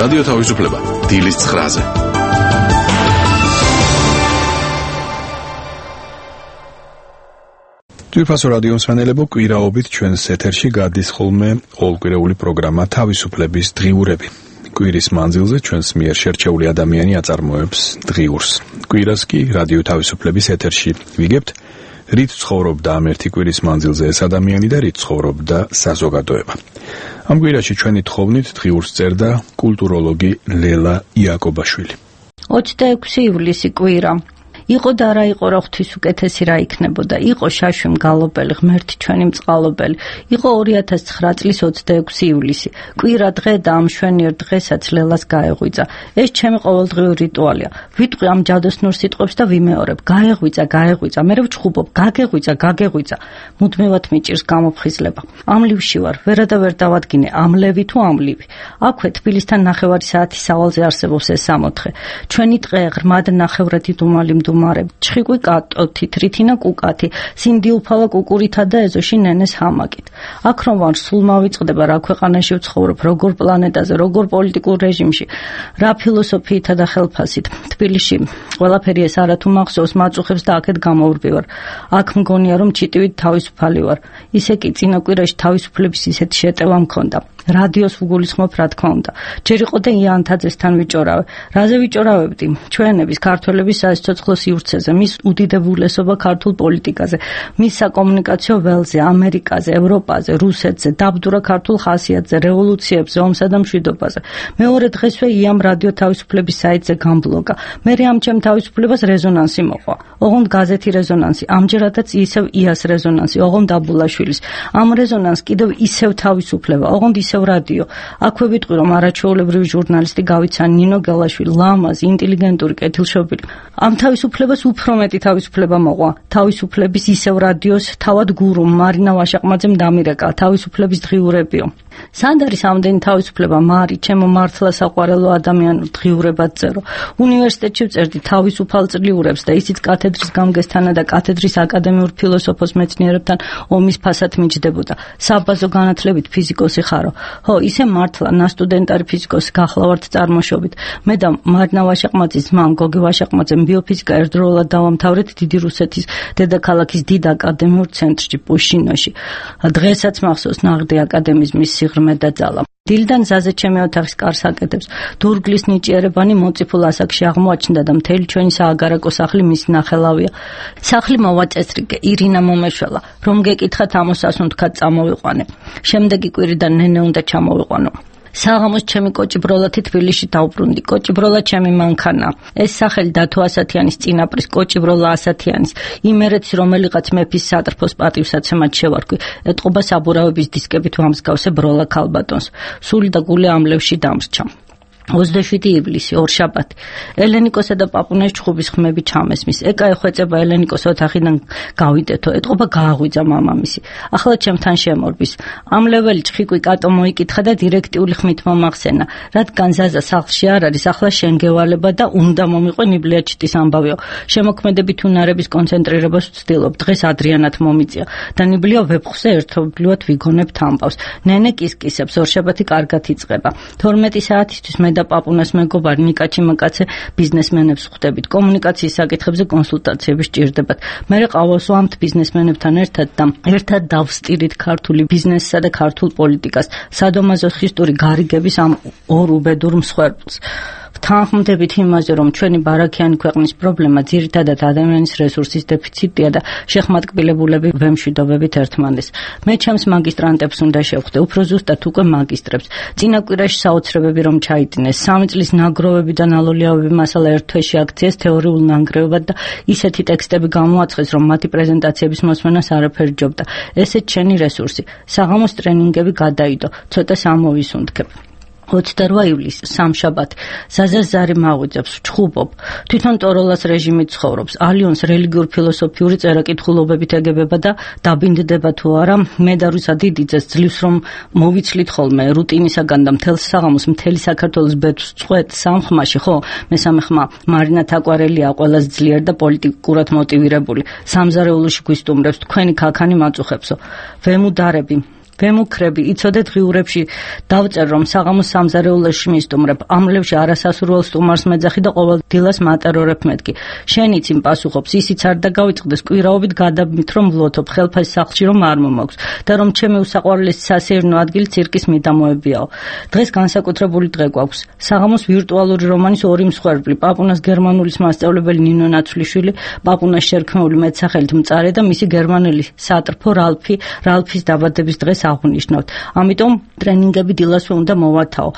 რადიო თავისუფლება დილის ცხრაზე. ძვირფასო რადიო მსმენელებო, კვირაობით ჩვენს ეთერში გადის ხოლმე ყოველკვირეული პროგრამა თავისუფლების დღიურები. კვირის მანძილზე ჩვენს მიერ შერჩეული ადამიანი აწარმოებს დღიურს. კვირას კი რადიო თავისუფლების ეთერში ვიგებთ, რით ცხოვრობდა ამ ერთი კვირის მანძილზე ეს ადამიანი და რით ცხოვრობდა საზოგადოება. ამ კვირაში ჩვენი თხოვნით დღიურს წერდა კულტუროლოგი ლელა იაკობაშვილი. ოცდაექვსი ივლისი კვირა. იყო და რა იყო რა ღვთის უკეთესი რა იქნებოდა. იყო შაშვი მგალობელი, ღმერთი ჩვენი მწყალობელი. იყო ორი ათას ცხრა წლის ოცდაექვსი ივლისი. კვირა დღე და ამ შვენიერ დღესაც ლელას გაეღვიძა. ეს ჩემი ყოველდღიური რიტუალია. ვიტყვი ამ ჯადოსნურ სიტყვებს და ვიმეორებ. გაეღვიძა, გაეღვიძა, მერე ვჩხუბობ, გაგეღვიძა, გაგეღვიძა. მუდმივად მიჭირს გამოფხიზლება. ამლივში ვარ, ვერა და ვერ დავადგინე, ამლევი თუ ამლივი. აქვე თბილისთან ნახევარი საათის სავალზე არსებობს ეს სამოთხე. ჩვენი ტყე ღრმად ნახევრადი დუმალი მდუმარებ, ჩხიკვი კატოთი, თრითინა კუკათი, სინდიუფალა კუკურითა და ეზოში ნენეს ჰამაკით. აქ რომ ვარ, სულ მავიწყდება რა ქვეყანაში ვცხოვრობ, როგორ პლანეტაზე, როგორ პოლიტიკურ რეჟიმში, რა ფილოსოფიითა და ხელფასით. თბილისში ყველაფერი ეს არათუ მახსოვს, მაწუხებს და აქეთ გამოვრბივარ. აქ მგონია რომ ჩიტივით თავისუფალი ვარ. ისე კი წინა კვირაში თავისუფლების ისეთი შეტევა მქონდა. რადიოს ვგულისხმობ, რა თქმა უნდა. ჯერ იყო და იანთაძესთან ვიჭორავე. რაზე ვიჭორავებდი? ჩვენების ქართველების საეცოცხლო სივრცეზე, მის უდიდებულესობა ქართულ პოლიტიკაზე, მის საკომუნიკაციო ველზე, ამერიკაზე, ევროპაზე, რუსეთზე, დაბდურა ქართულ ხასიათზე, რევოლუციებზე, ომსა და მშვიდობაზე. მეორე დღესვე იამ რადიო თავისუფლების საიტზე გამბლოგა. მერე ამ ჩემ თავისუფლებას რეზონანსი მოყვა. ოღონდ გაზეთი რეზონანსი, ამჯერადაც ისევ იას რეზონანსი, ოღონდ აბულაშვილის. ამ რეზონანს კიდევ ისევ თავისუფლება, ოღონდ ისევ რადიო. აქვე ვიტყვი რომ არაჩვეულებრივი ჟურნალისტი გავიცა ნინო გელაშვილი, ლამაზი, ინტელიგენტური, კეთილშობილი. ამ თავისუფლებას უფრო მეტი თავისუფლება მოყვა. თავისუფლების ისევ რადიოს თავად გურუმ მარინა ვაშაყმაძემ დამირეკა თავისუფლების დღიურებიო. სად არის ამდენი თავისუფლება, მარი, ჩემო მართლა საყვარელო ადამიანო, დღიურებად წერო. უნივერსიტეტში ვწერდი თავისუფალ წლიურებს და ისიც კათედრის გამგესთანა და კათედრის აკადემიურ ფილოსოფოს მეცნიერებთან ომის ფასად მიჯდებოდა. საბაზო განათლებით ფიზიკოსი ხარო. ხო, ისე მართლა, ნასტუდენტარი ფიზიკოსი გახლავართ წარმოშობით. მე და მარინა ვაშაყმაძის ძმამ გოგი ვაშაყმაძემ ბიოფიზიკა ერთდროულად დავამთავრეთ დიდი რუსეთის დედაქალაქის დიდ აკადემიურ ცენტრში პუშინოში. დღესაც მახსოვს ნაღდი აკადემიზმის სიღრმე და ძალა. დილიდან ზაზე ჩემი ოთახის კარს აკეთებს. დურგლის ნიჭიერებანი მოწიფულ ასაკში აღმოაჩნდა და მთელი ჩვენი სააგარაკო სახლი მისი ნახელავია. სახლი მოვაწესრიგე, ირინა მომეშველა. რომ გეკითხათ ამოსას უნდქად წამოვიყვანე. შემდეგი კვირიდან ნენე უნდა ჩამოვიყვანო. საღამოს ჩემი კოჭი ბროლათი თბილისში დავბრუნდი. კოჭი ბროლა ჩემი მანქანა. ეს სახელი დათო ასათიანის წინაპრის კოჭი ბროლა ასათიანის. იმერეთს რომელიღაც მეფის სატრფოს პატივსაცემად შევარქვი. ეტყობა საბურავების დისკებით ვამსგავსე ბროლა ქალბატონს. სული და გული ამლევში დამრჩა. ოცდაშვიდი ივლისი, ორშაბათი. ელენიკოსა და პაპუნეს ჩხუბის ხმები ჩამესმის. ეკა ეხვეწება ელენიკოს ოთახიდან გავიდეთო. ეტყობა გააღვიძა მამამისი. ახლა ჩემთან შემორბის. ამ ლეველი ჩხიკვი კატო მოიკითხა და დირექტიული ხმით მომახსენა. რადგან ზაზა სახლში არ არის, ახლა შენ გევალება და უნდა მომიყვე ნიბლიაჩიტის ამბავიო. შემოქმედებით უნარების კონცენტრირებას ვცდილობ. დღეს ადრიანად მომიწია და ნიბლია ვეფხვზე ერთობლივად ვიგონებთ ამბავს. ნენე კისკისებს, ორშაბათი კარგად იწყება. თორმეტი საათისთვის მე და პაპუნას მეგობარი ნიკა ჩიმაკაცე ბიზნესმენებს ხვდებით. კომუნიკაციის საკითხებზე კონსულტაციები სჭირდებათ. მე ყავასვამთ ბიზნესმენებთან ერთად და ერთად დავსტირით ქართული ბიზნესსა და ქართულ პოლიტიკას, სადომაზოხისტური გარიგების ამ ორ უბედურ მსხვერპლს. ვთანხმდებით იმაზე, რომ ჩვენი ბარაქიანი ქვეყნის პრობლემა ძირითადად ადამიანის რესურსის დეფიციტია და შეხმატკბილებულები ვემშვიდობებით ერთმანეთს. მე ჩემს მაგისტრანტებს უნდა შევხვდე, უფრო ზუსტად უკვე მაგისტრებს. წინა კვირაში საოცრებები რომ ჩაიდინეს, სამი წლის ნაგროვები და ნალოლიაობები მასალა ერთ თვეში აქციეს თეორიულ ნანგრევებად და ისეთი ტექსტები გამოაცხეს, რომ მათი პრეზენტაციების მოსმენას არაფერი ჯობდა. ესეც შენი რესურსი. საღამოს ტრენინგები გადაიდო, ცოტას ამოვისუნთქებ. ოცდაოთხ ივლისს სამშაბათი ზაზაზარი მაღვიძებს ჩხუბობ თვითონ ტოროლას რეჟიმით ცხოვრობს ალიონს რელიგიურ ფილოსოფიური წერა-კითხულობებით ეგებება და დაბინდდება თუ არა მე და რუსა დიდიძეს ძლივს რომ მოვიცლით ხოლმე რუტინისაგან და მთელ საღამოს მთელი საქართველოს ბედს წყვეთ სამხმაში ხო მესამე ხმა მარინა თაკვარელია ყველაზე ძლიერ და პოლიტიკურად მოტივირებული სამზარეულოში გვისტუმრებს თქვენი ქაქანი მაწუხებსო ვემუდარები ვემუქრები იცოდეთ ღიურებში დავწერ რომ საღამოს სამზარეულოში მისტუმრებ ამლებში არასასურველ სტუმარს მეძახი და ყოველ დილას მატერორებ მეთქი შენიც იმ პასუხობს ისიც არ დაგავიწყდეს კვირაობით გადაბმით რომ ვლოთობ ხელფასი სახლში რომ არ მომაქვს და რომ ჩემი უსაყვარლესი სასეირნო ადგილი ცირკის მიდამოებიაო დღეს განსაკუთრებული დღე გვაქვს საღამოს ვირტუალური რომანის ორი მსხვერპლი პაპუნას გერმანულის მასწავლებელი ნინო ნაცვლიშვილი პაპუნას შერქმეული მეტსახელით მწარე და მისი გერმანელი სატრფო რალფი რალფის დაბადების დღეს აღნიშნავთ. ამიტომ ტრენინგები დილასვე უნდა მოვათავო.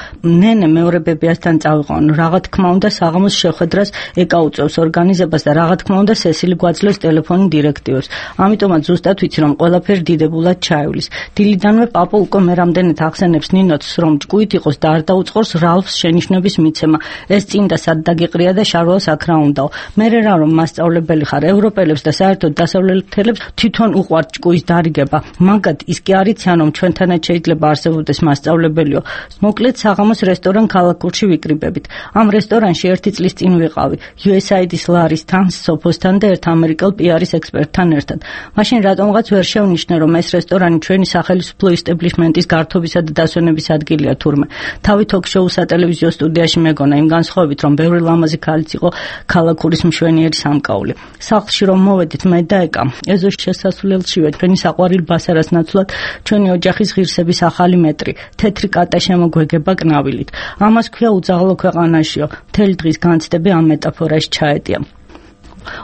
ნენე მეორე ბებიასთან წავიყვანო. რა თქმა უნდა საღამოს შეხვედრას ეკაუწევს ორგანიზებას და რა თქმა უნდა სესილი გვაძლევს ტელეფონი დირექტივებს. ამიტომაც ზუსტად ვიცი რომ ყველაფერი დიდებულად ჩაივლის. დილიდანვე პაპო უკვე მე რამდენად ახსენებს ნინოც რომ ჭკუით იყოს და არ დაუწყორს რალფს შენიშვნების მიცემა. ეს წინ და სად დაგიყრია და შარვალს აქ რა უნდაო. მე რა რომ მასწავლებელი ხარ ევროპელებს და საერთოდ დასავლეთელებს თვითონ უყვართ ჭკუის დარიგება. მაგათ ის კი არის რომ ჩვენთანაც შეიძლება არსებობდეს მასწავლებელიო. მოკლედ საღამოს რესტორან ქალაქურში ვიკრიბებით. ამ რესტორანში ერთი წლის წინ ვიყავი იუ ეს აი დის ლარის თან, სოფოსთან და ერთ ამერიკელ პი არის ექსპერტთან ერთად. მაშინ რატომღაც ვერ შევნიშნე რომ ეს რესტორანი ჩვენი სახელმწიფო ისტებლიშმენტის გართობისა და დასვენების ადგილია თურმე. თავი თოქ-შოუ სატელევიზიო სტუდიაში მეგონა იმ განსხვავებით რომ ბევრი ლამაზი ქალიც იყო ქალაქურის მშვენიერი სამკაული. სახლში რომ მოვედით მე და ეკა ეზოს შესასვლელშივე ჩვენი საყვარელი ბასარას ნაცვლად ჩვენი ოჯახის ღირსების ახალი მეტრი, თეთრი კატა შემოგვეგება კნავილით. ამას ქვია უძაღლო ქვეყანაშიო. მთელი დღის განცდები ამ მეტაფორაში ჩაეტია.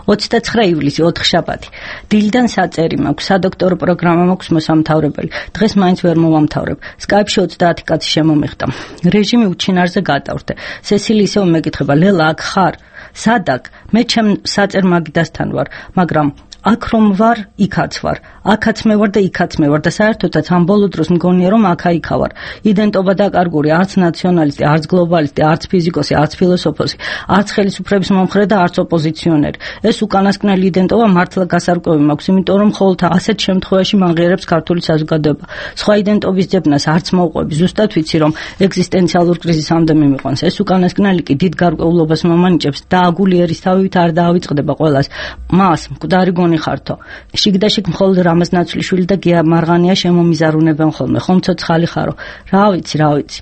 ოცდაცხრა ივლისი ოთხშაბათი. დილიდან საწერი მაქვს, სადოქტორო პროგრამა მაქვს მოსამთავრებელი. დღეს მაინც ვერ მოვამთავრებ. სკაიპში ოცდაათი კაცი შემომიხდა. რეჟიმი უჩინარზე გადავრდე. სესილი ისევ მეკითხება, ლელა აქ ხარ? სადაკ? მე ჩემ საწერ მაგიდასთან ვარ, მაგრამ აქ რომ ვარ, იქაც ვარ. აქაც მე ვარ და იქაც მე ვარ და საერთოდაც ამ ბოლო დროს მგონია რომ აქა-იქა ვარ. იდენტობა დაკარგული, არც ნაციონალისტი, არც გლობალისტი, არც ფიზიკოსი, არც ფილოსოფოსი, არც ხელისუფლების მომხრე და არც ოპოზიციონერი. ეს უკანასკნელი იდენტობა მართლა გასარკვევი მაქვს, იმიტომ რომ მხოლოდ ასეთ შემთხვევაში მაღიერებს ქართული საზოგადოება. სხვა იდენტობის ძებნას არც მოვყვები, ზუსტად ვიცი რომ ეგზისტენციალურ კრიზისამდე მიმიყვანს. ეს უკანასკნელი კი დიდ გარკვეულობას მომანიჭებს და აგულიერისთავით არ დაავიწყდება ყველას. მას მკვდარი გონი ხართო. შიგდაშიგ მხოლოდ რამაზ ნაცვლიშვილი და გია მარღანია შემომიზარუნებენ ხოლმე. ხომ ცოცხალი ხარო? რა ვიცი, რა ვიცი.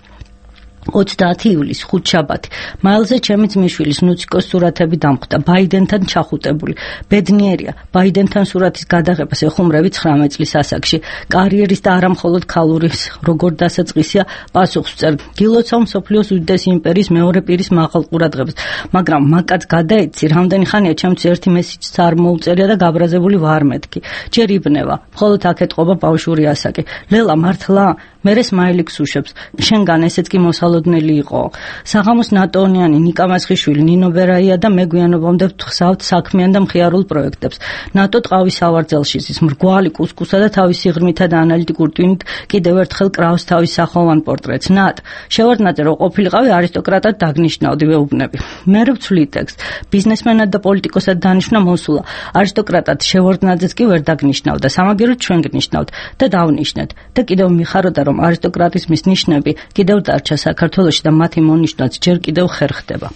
ოცდაათი ივლისი ხუთშაბათი. მაილზე ჩემი ძმისშვილის ნუციკოს სურათები დამხვდა. ბაიდენთან ჩახუტებული. ბედნიერია. ბაიდენთან სურათის გადაღებას ეხუმრები ცხრამეტ წლის ასაკში. კარიერის და არა მხოლოდ ქალურის როგორ დასაწყისია პასუხს ვწერ. გილოცავ მსოფლიოს უდიდესი იმპერიის მეორე პირის მაღალ ყურადღებას. მაგრამ მაკაც გადაეცი, რამდენი ხანია ჩემთვის ერთი მესიჯს არ მოუწერია და გაბრაზებული ვარ მეთქი. ჯერ იბნევა. მხოლოდ აქ ეთყობა ბავშვური ასაკი. ლელა მართლა? მერე სმაილიks უშვებს. შენგან ესეც კი მოსალოდნელი იყო. საღამოს ნატონიანი ნიკა მასხიშვილი, ნინო ბერაია და მე გვიანობამდე ვთხსავთ საქმიან და მხიარულ პროექტებს. ნატო ტყავის სავარძელში ზის მრგვალი კუსკუსა და თავის სიღრმითა და ანალიტიკურ ტვინით კიდევ ერთხელ კრავს თავის სახელოვან პორტრეტს. ნატ, შევარდნაძე რომ ყოფილიყავი არისტოკრატად დაგნიშნავდი ვეუბნები. მე ვცვლი ტექსტ. ბიზნესმენად და პოლიტიკოსად დანიშნა მოსულა. არისტოკრატად შევარდნაძეს კი ვერ დაგნიშნავდა. სამაგეროდ ჩვენ გნიშნავთ და დავნიშნეთ. და კიდევ მიხაროდა რომ არისტოკრატიზმის ნიშნები კიდევ დარჩა საქართველოში და მათი მონიშნვაც ჯერ კიდევ ხერხდება.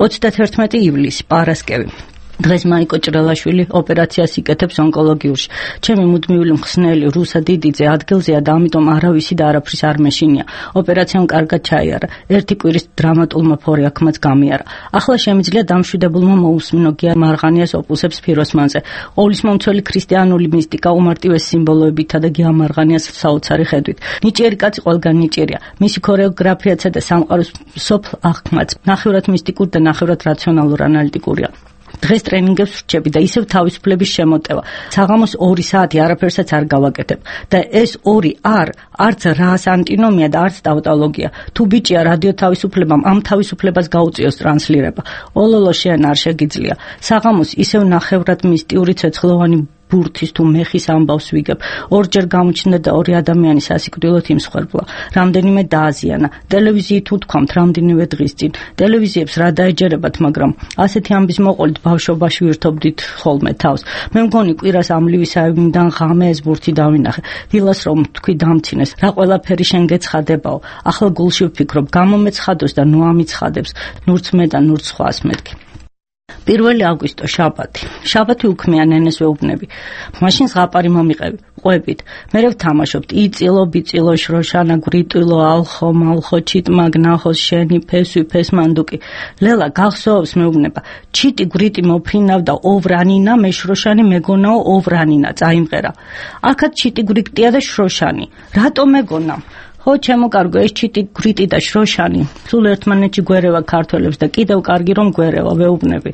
ოცდათერთმეტი ივლისი პარასკევი. დღეს მაიკო ჭრელაშვილი ოპერაციას იკეთებს ონკოლოგიურში. ჩემი მუდმივი მხსნელი რუსა დიდიძე ადგილზეა და ამიტომ არავისი და არაფრის არ მეშინია. ოპერაციამ კარგად ჩაიარა. ერთი კვირის დრამატულმა ფორიაქმაც გამიარა. ახლა შემიძლია დამშვიდებულმა მოусმინო გია მარღანიას ოპუსებს ფიროსმანზე. ყოვლის მომცველი ქრისტიანული მისტიკა უმარტივეს სიმბოლოებითა და გია მარღანიას საოცარი ხედვით. ნიჭიერი კაცი ყველგან ნიჭიერია. მისი ქორეოგრაფიაცა და სამყაროს სოფლ აღქმაც ნახევრად მისტიკურ და ნახევრად რაციონალურ ანალიტიკურია. დღეს ტრენინგებს ვრჩები და ისევ თავისუფლების შემოტევა. საღამოს ორი საათი არაფერსაც არ გავაკეთებ და ეს ორი არ არც რას ანტინომია და არც ტავტოლოგია. თუ ბიჭია რადიო თავისუფლებამ ამ თავისუფლებას გაუწიოს ტრანსლირება. ოლოლო შენ არ შეგიძლია. საღამოს ისევ ნახევრად მისტიური ცეცხლოვანი ბურთის თუ მეხის ამბავს ვიგებ. ორჯერ გამოჩნდა და ორი ადამიანი სასიკვდილოდ იმსხვერპლა. რამდენიმე დააზიანა. ტელევიზიით უთქვამთ რამდენიმე დღის წინ. ტელევიზიებს რა დაეჯერებათ, მაგრამ ასეთი ამბის მოყოლით ბავშვობაში ვირთობდით ხოლმე თავს. მე მგონი კვირას ამლივისაებიდან ღამე ეს ბურთი დავინახე. დილას რომ თქვი დამცინეს, რა ყველაფერი შენ გეცხადებაო. ახლა გულში ვფიქრობ, გამომეცხადოს და ნუ ამიცხადებს. ნურც მე და ნურც სხვას მეთქი. პირველი აგვისტო შაბათი. შაბათი უქმია ნენეს ვეუბნები. მაშინ ზღაპარი მომიყევი. ყვებით. მე ვთამაშობთ იწილო ბიწილო შროშანა გრიტილო ალხო მალხო ჩიტმა გნახოს შენი ფესვი ფესმანდუკი. ლელა გახსოვს მეუბნება. ჩიტი გრიტი მოფრინავდა ოვრანინა მე შროშანი მეგონაო ოვრანინა წაიმღერა. აქაც ჩიტი გრიტია და შროშანი. რატო მეგონა? ხო ჩემო კარგო ეს ჩიტი გრიტი და შროშანი სულ ერთმანეთში გვერევა ქართველებს და კიდევ კარგი რომ გვერევა ვეუბნები.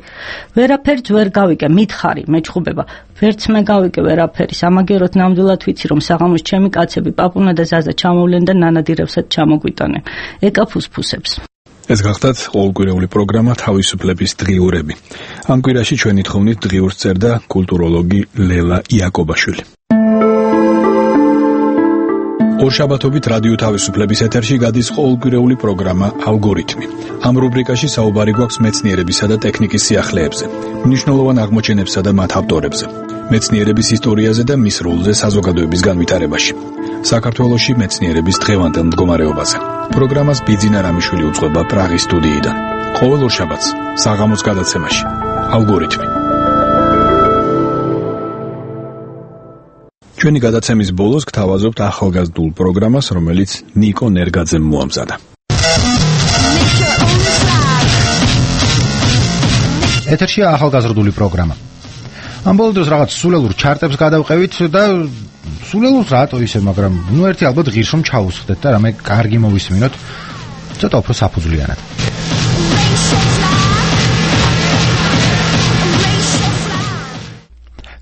ვერაფერს ვერ გავიკე მითხარი მეჩხუბება. ვერც მე გავიკე ვერაფერი სამაგეროთ ნამდვილად ვიცი რომ საღამოს ჩემი კაცები პაპუნა და ზაზა ჩამოვლენ და ნანადირებსაც ჩამოგვიტანენ. ეკა ფუსფუსებს. ეს გახდათ ყოველკვირეული პროგრამა თავისუფლების დღიურები. ამ კვირაში ჩვენი თხოვნით დღიურს წერდა კულტუროლოგი ლელა იაკობაშვილი. ორშაბათობით რადიო თავისუფლების ეთერში გადის ყოველკვირეული პროგრამა ალგორითმი. ამ რუბრიკაში საუბარი გვაქვს მეცნიერებისა და ტექნიკის სიახლეებზე, მნიშვნელოვან აღმოჩენებსა და მათ ავტორებზე, მეცნიერების ისტორიაზე და მის როლზე საზოგადოების განვითარებაში, საქართველოში მეცნიერების დღევანდელ მდგომარეობაზე. პროგრამას ბიძინა რამიშვილი უძღვება პრაღის სტუდიიდან. ყოველ ორშაბათს საღამოს გადაცემაში ალგორითმი. ჩვენი გადაცემის ბოლოს გთავაზობთ ახალგაზრდულ პროგრამას, რომელიც ნიკო ნერგაძემ მოამზადა. ეთერშია ახალგაზრდული პროგრამა. ამ ბოლო დროს რაღაც სულელურ ჩარტებს გადავყევით და სულელურს რატო ისე, მაგრამ ნუ ერთი ალბათ ღირს რომ ჩაუსხდეთ და რამე კარგი მოვისმინოთ, ცოტა უფრო საფუძვლიანად.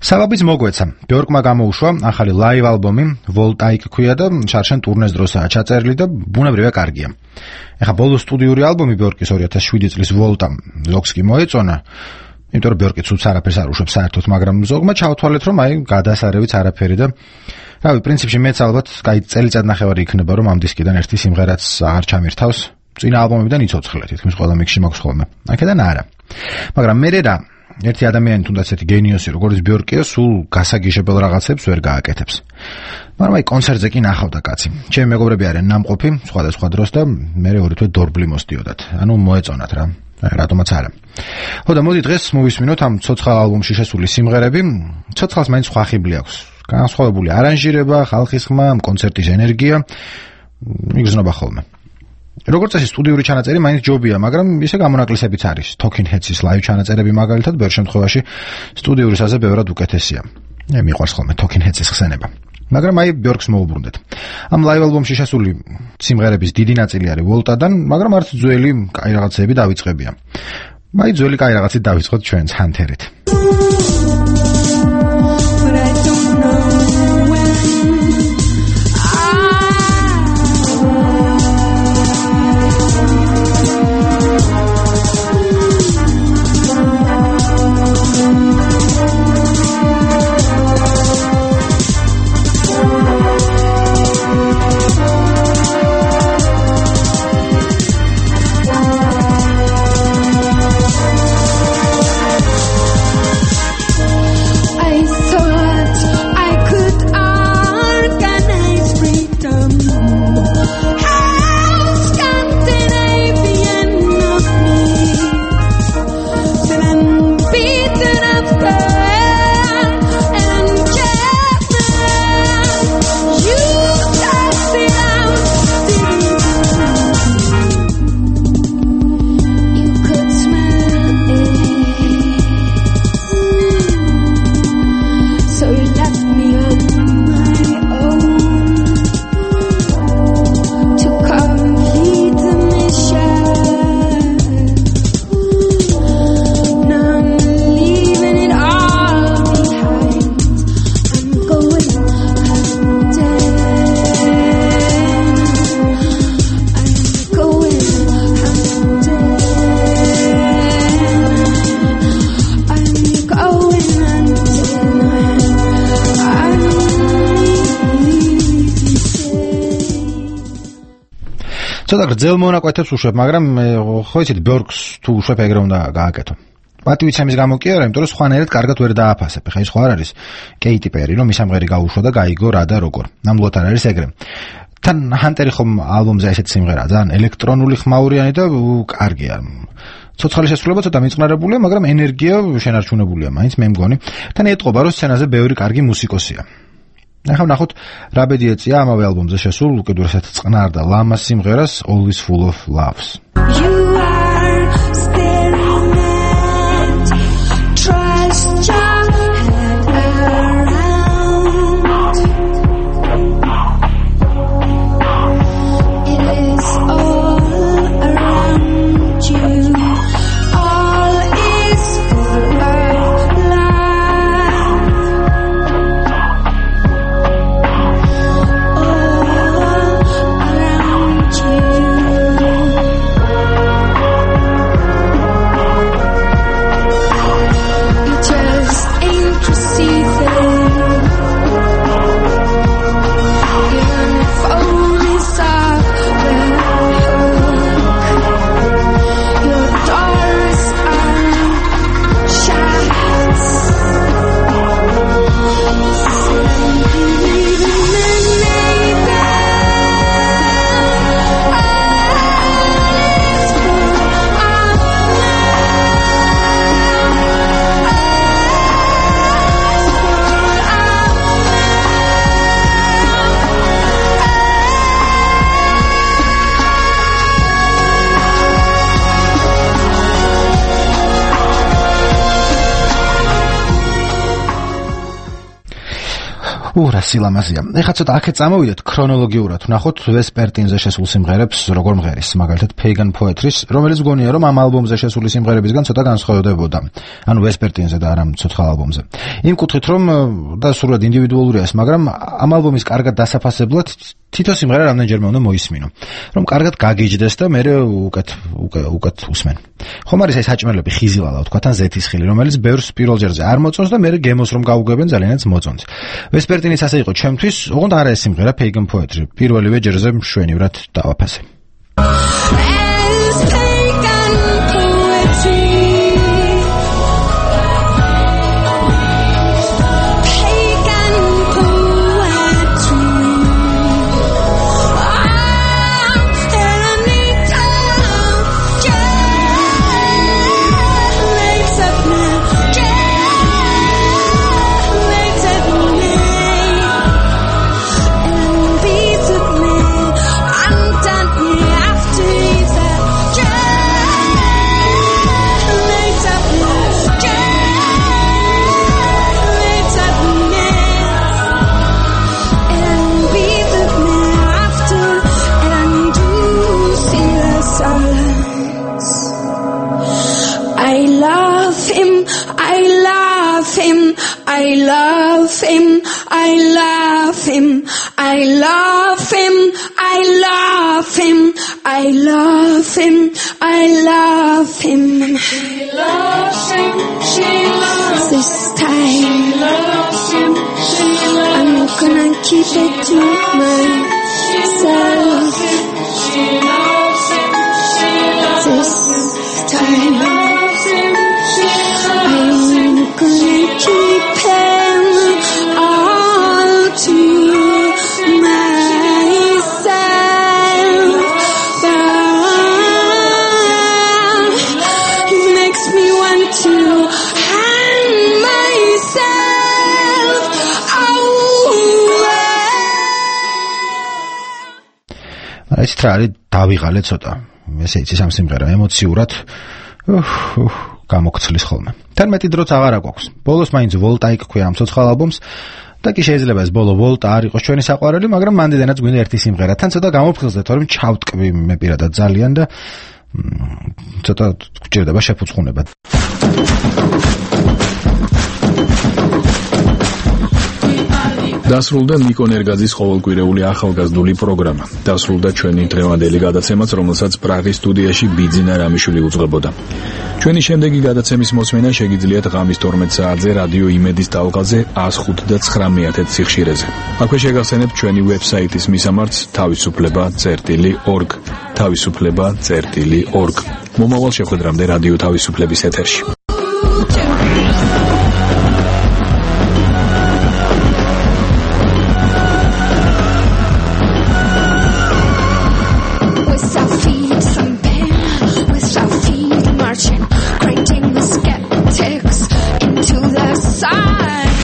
საბაბიც მოგვეცა. ბიორკმა გამოუშვა ახალი ლაივ ალბომი, ვოლტაიკ ქვია და შარშან ტურნეს დროსაა ჩაწერილი და ბუნებრივია კარგია. ეხა ბოლო სტუდიური ალბომი ბიორკის ორი ათას შვიდი წლის ვოლტა ზოგს კი მოეწონა. იმიტომ რომ ბიორკი ცუც არაფერს არ უშვებს საერთოდ, მაგრამ ზოგმა ჩავთვალეთ რომ აი გადასარევიც არაფერი და რავი, პრინციპში მეც ალბათ კაი წელიწად ნახევარი იქნება რომ ამ დისკიდან ერთი სიმღერაც აღარ ჩამირთავს. წინა ალბომებიდან იცოცხლე, თითქმის ყველა მიქსში მაქვს ხოლმე. აქედან არა. მაგრამ მე რა ერთი ადამიანი თუნდაც ერთი გენიოსი როგორც ბიორკია სულ გასაგიშებელ რაღაცებს ვერ გააკეთებს. მაგრამ აი კონცერტზე კი ნახავდა კაცი. ჩემი მეგობრები არიან ნამყოფი სხვადასხვა დროს და მე ორი თვე დორბლი მოსდიოდათ. ანუ მოეწონათ რა. რატომაც არა. ხო და მოდი დღეს მოვისმინოთ ამ ცოცხალ ალბომში შესული სიმღერები. ცოცხალს მაინც სხვა ხიბლი აქვს. განსხვავებული არანჟირება, ხალხის ხმა, კონცერტის ენერგია. მიგზნობა ხოლმე. როგორც წესი სტუდიური ჩანაწერი მაინც ჯობია, მაგრამ ისე გამონაკლისებიც არის. Talking Heads-ის ლაივ ჩანაწერები მაგალითად ბევრ შემთხვევაში სტუდიურისაზე ბევრად უკეთესია. მე მიყვარს ხოლმე Talking Heads-ის ხსენება. მაგრამ აი ბიორკს მოუბრუნდეთ. ამ ლაივ ალბომში შესული სიმღერების დიდი ნაწილი არის ვოლტადან, მაგრამ არც ძველი კაი რაღაცები დავიწყებია. აი ძველი კაი რაღაცით დავიწყოთ ჩვენც ჰანთერით. ცოტა გრძელ მონაკვეთებს უშვებ, მაგრამ ხო იცით, ბიორკს თუ უშვებ ეგრე უნდა გააკეთო. პატივიცემის გამო კი არა, იმიტომ რომ სხვანაირად კარგად ვერ დააფასებ. ხა ის ხო არ არის კეიტი პერი, რომ მისამღერი გაუშვა და გაიგო რა და როგორ. ნამდვილად არ არის ეგრე. თან ჰანტერი ხომ ალბომზე ესეთ სიმღერაა, ძალიან ელექტრონული ხმაურიანი და კარგია. ცოცხალი შესრულება ცოტა მიწყნარებულია, მაგრამ ენერგია შენარჩუნებულია, მაინც მე მგონი. თან ეტყობა, რომ სცენაზე ბევრი კარგი მუსიკოსია. ახლა ნახოთ რა ბედი ეწია ამავე ალბომზე შესულ უკიდურესად წყნარ და ლამაზ სიმღერას Always Full of Loves. ურა სილამაზია. ეხლა ცოტა აქეთ წამოვიდეთ ქრონოლოგიურად. ვნახოთ ვესპერტინზე შესულ სიმღერებს, როგორ მღერის, მაგალითად Pagan Poetry-ს, რომელიც გონია რომ ამ ალბომზე შესული სიმღერებისგან ცოტა განსხვავდებოდა. ანუ ვესპერტინზე და არა ცოცხალ ალბომზე. იმ კუთხით რომ და სულად ინდივიდუალურია ეს, მაგრამ ამ ალბომის კარგად დასაფასებლად თითო სიმღერა რამდენჯერმე უნდა მოისმინო, რომ კარგად გაგიჯდეს და მე უკეთ უკეთ усმენ. ხომ არის ეს საჭმელები ხიზილალა, თქვა თან ზეთისხილი, რომელიც ბევრს პირველ ჯერზე არ მოწონს და მე გემოს რომ გაუგებენ ძალიანაც მოწონს. ვესპერტინის ასე იყო ჩემთვის, ოღონდ არა ეს სიმღერა Pagan Poetry. პირველივე ჯერზე მშვენივრად დავაფასე. I love him, I love him, I love him, I love him, I love him, I love him. She loves him, she loves him. This time, she loves him, she loves him. I'm gonna keep it to myself. She loves him, she loves him. This time, I'm gonna keep him all to myself. But it makes me want to hang myself away. ეს ტრალი დავიღალე ცოტა. ესე იცი სამ სიმღერა ემოციურად გამოგცლის ხოლმე. თან მეტი დროც აღარ აქვს. ბოლოს მაინც ვოლტა იქქვია ამ ცოცხალ ალბომს და კი შეიძლება ეს ბოლო ვოლტა არ იყოს ჩვენი საყვარელი, მაგრამ მანდიდანაც გვინდა ერთი სიმღერა. თან ცოტა გამოფხიზდეთ, რომ ჩავტკვი მე პირადად ძალიან და ცოტა გჭირდება შეფუცხუნება. დასრულდა ნიკო ნერგაძის ყოველკვირეული ახალგაზრდული პროგრამა. დასრულდა ჩვენი დღევანდელი გადაცემაც, რომელსაც პრაღის სტუდიაში ბიძინა რამიშვილი უძღვებოდა. ჩვენი შემდეგი გადაცემის მოსმენა შეგიძლიათ ღამის თორმეტ საათზე რადიო იმედის ტალღაზე one oh five და nine სიხშირეზე. აქვე შეგახსენებთ ჩვენი ვებსაიტის მისამართს თავისუფლება წერტილი org თავისუფლება წერტილი org. მომავალ შეხვედრამდე რადიო თავისუფლების ეთერში.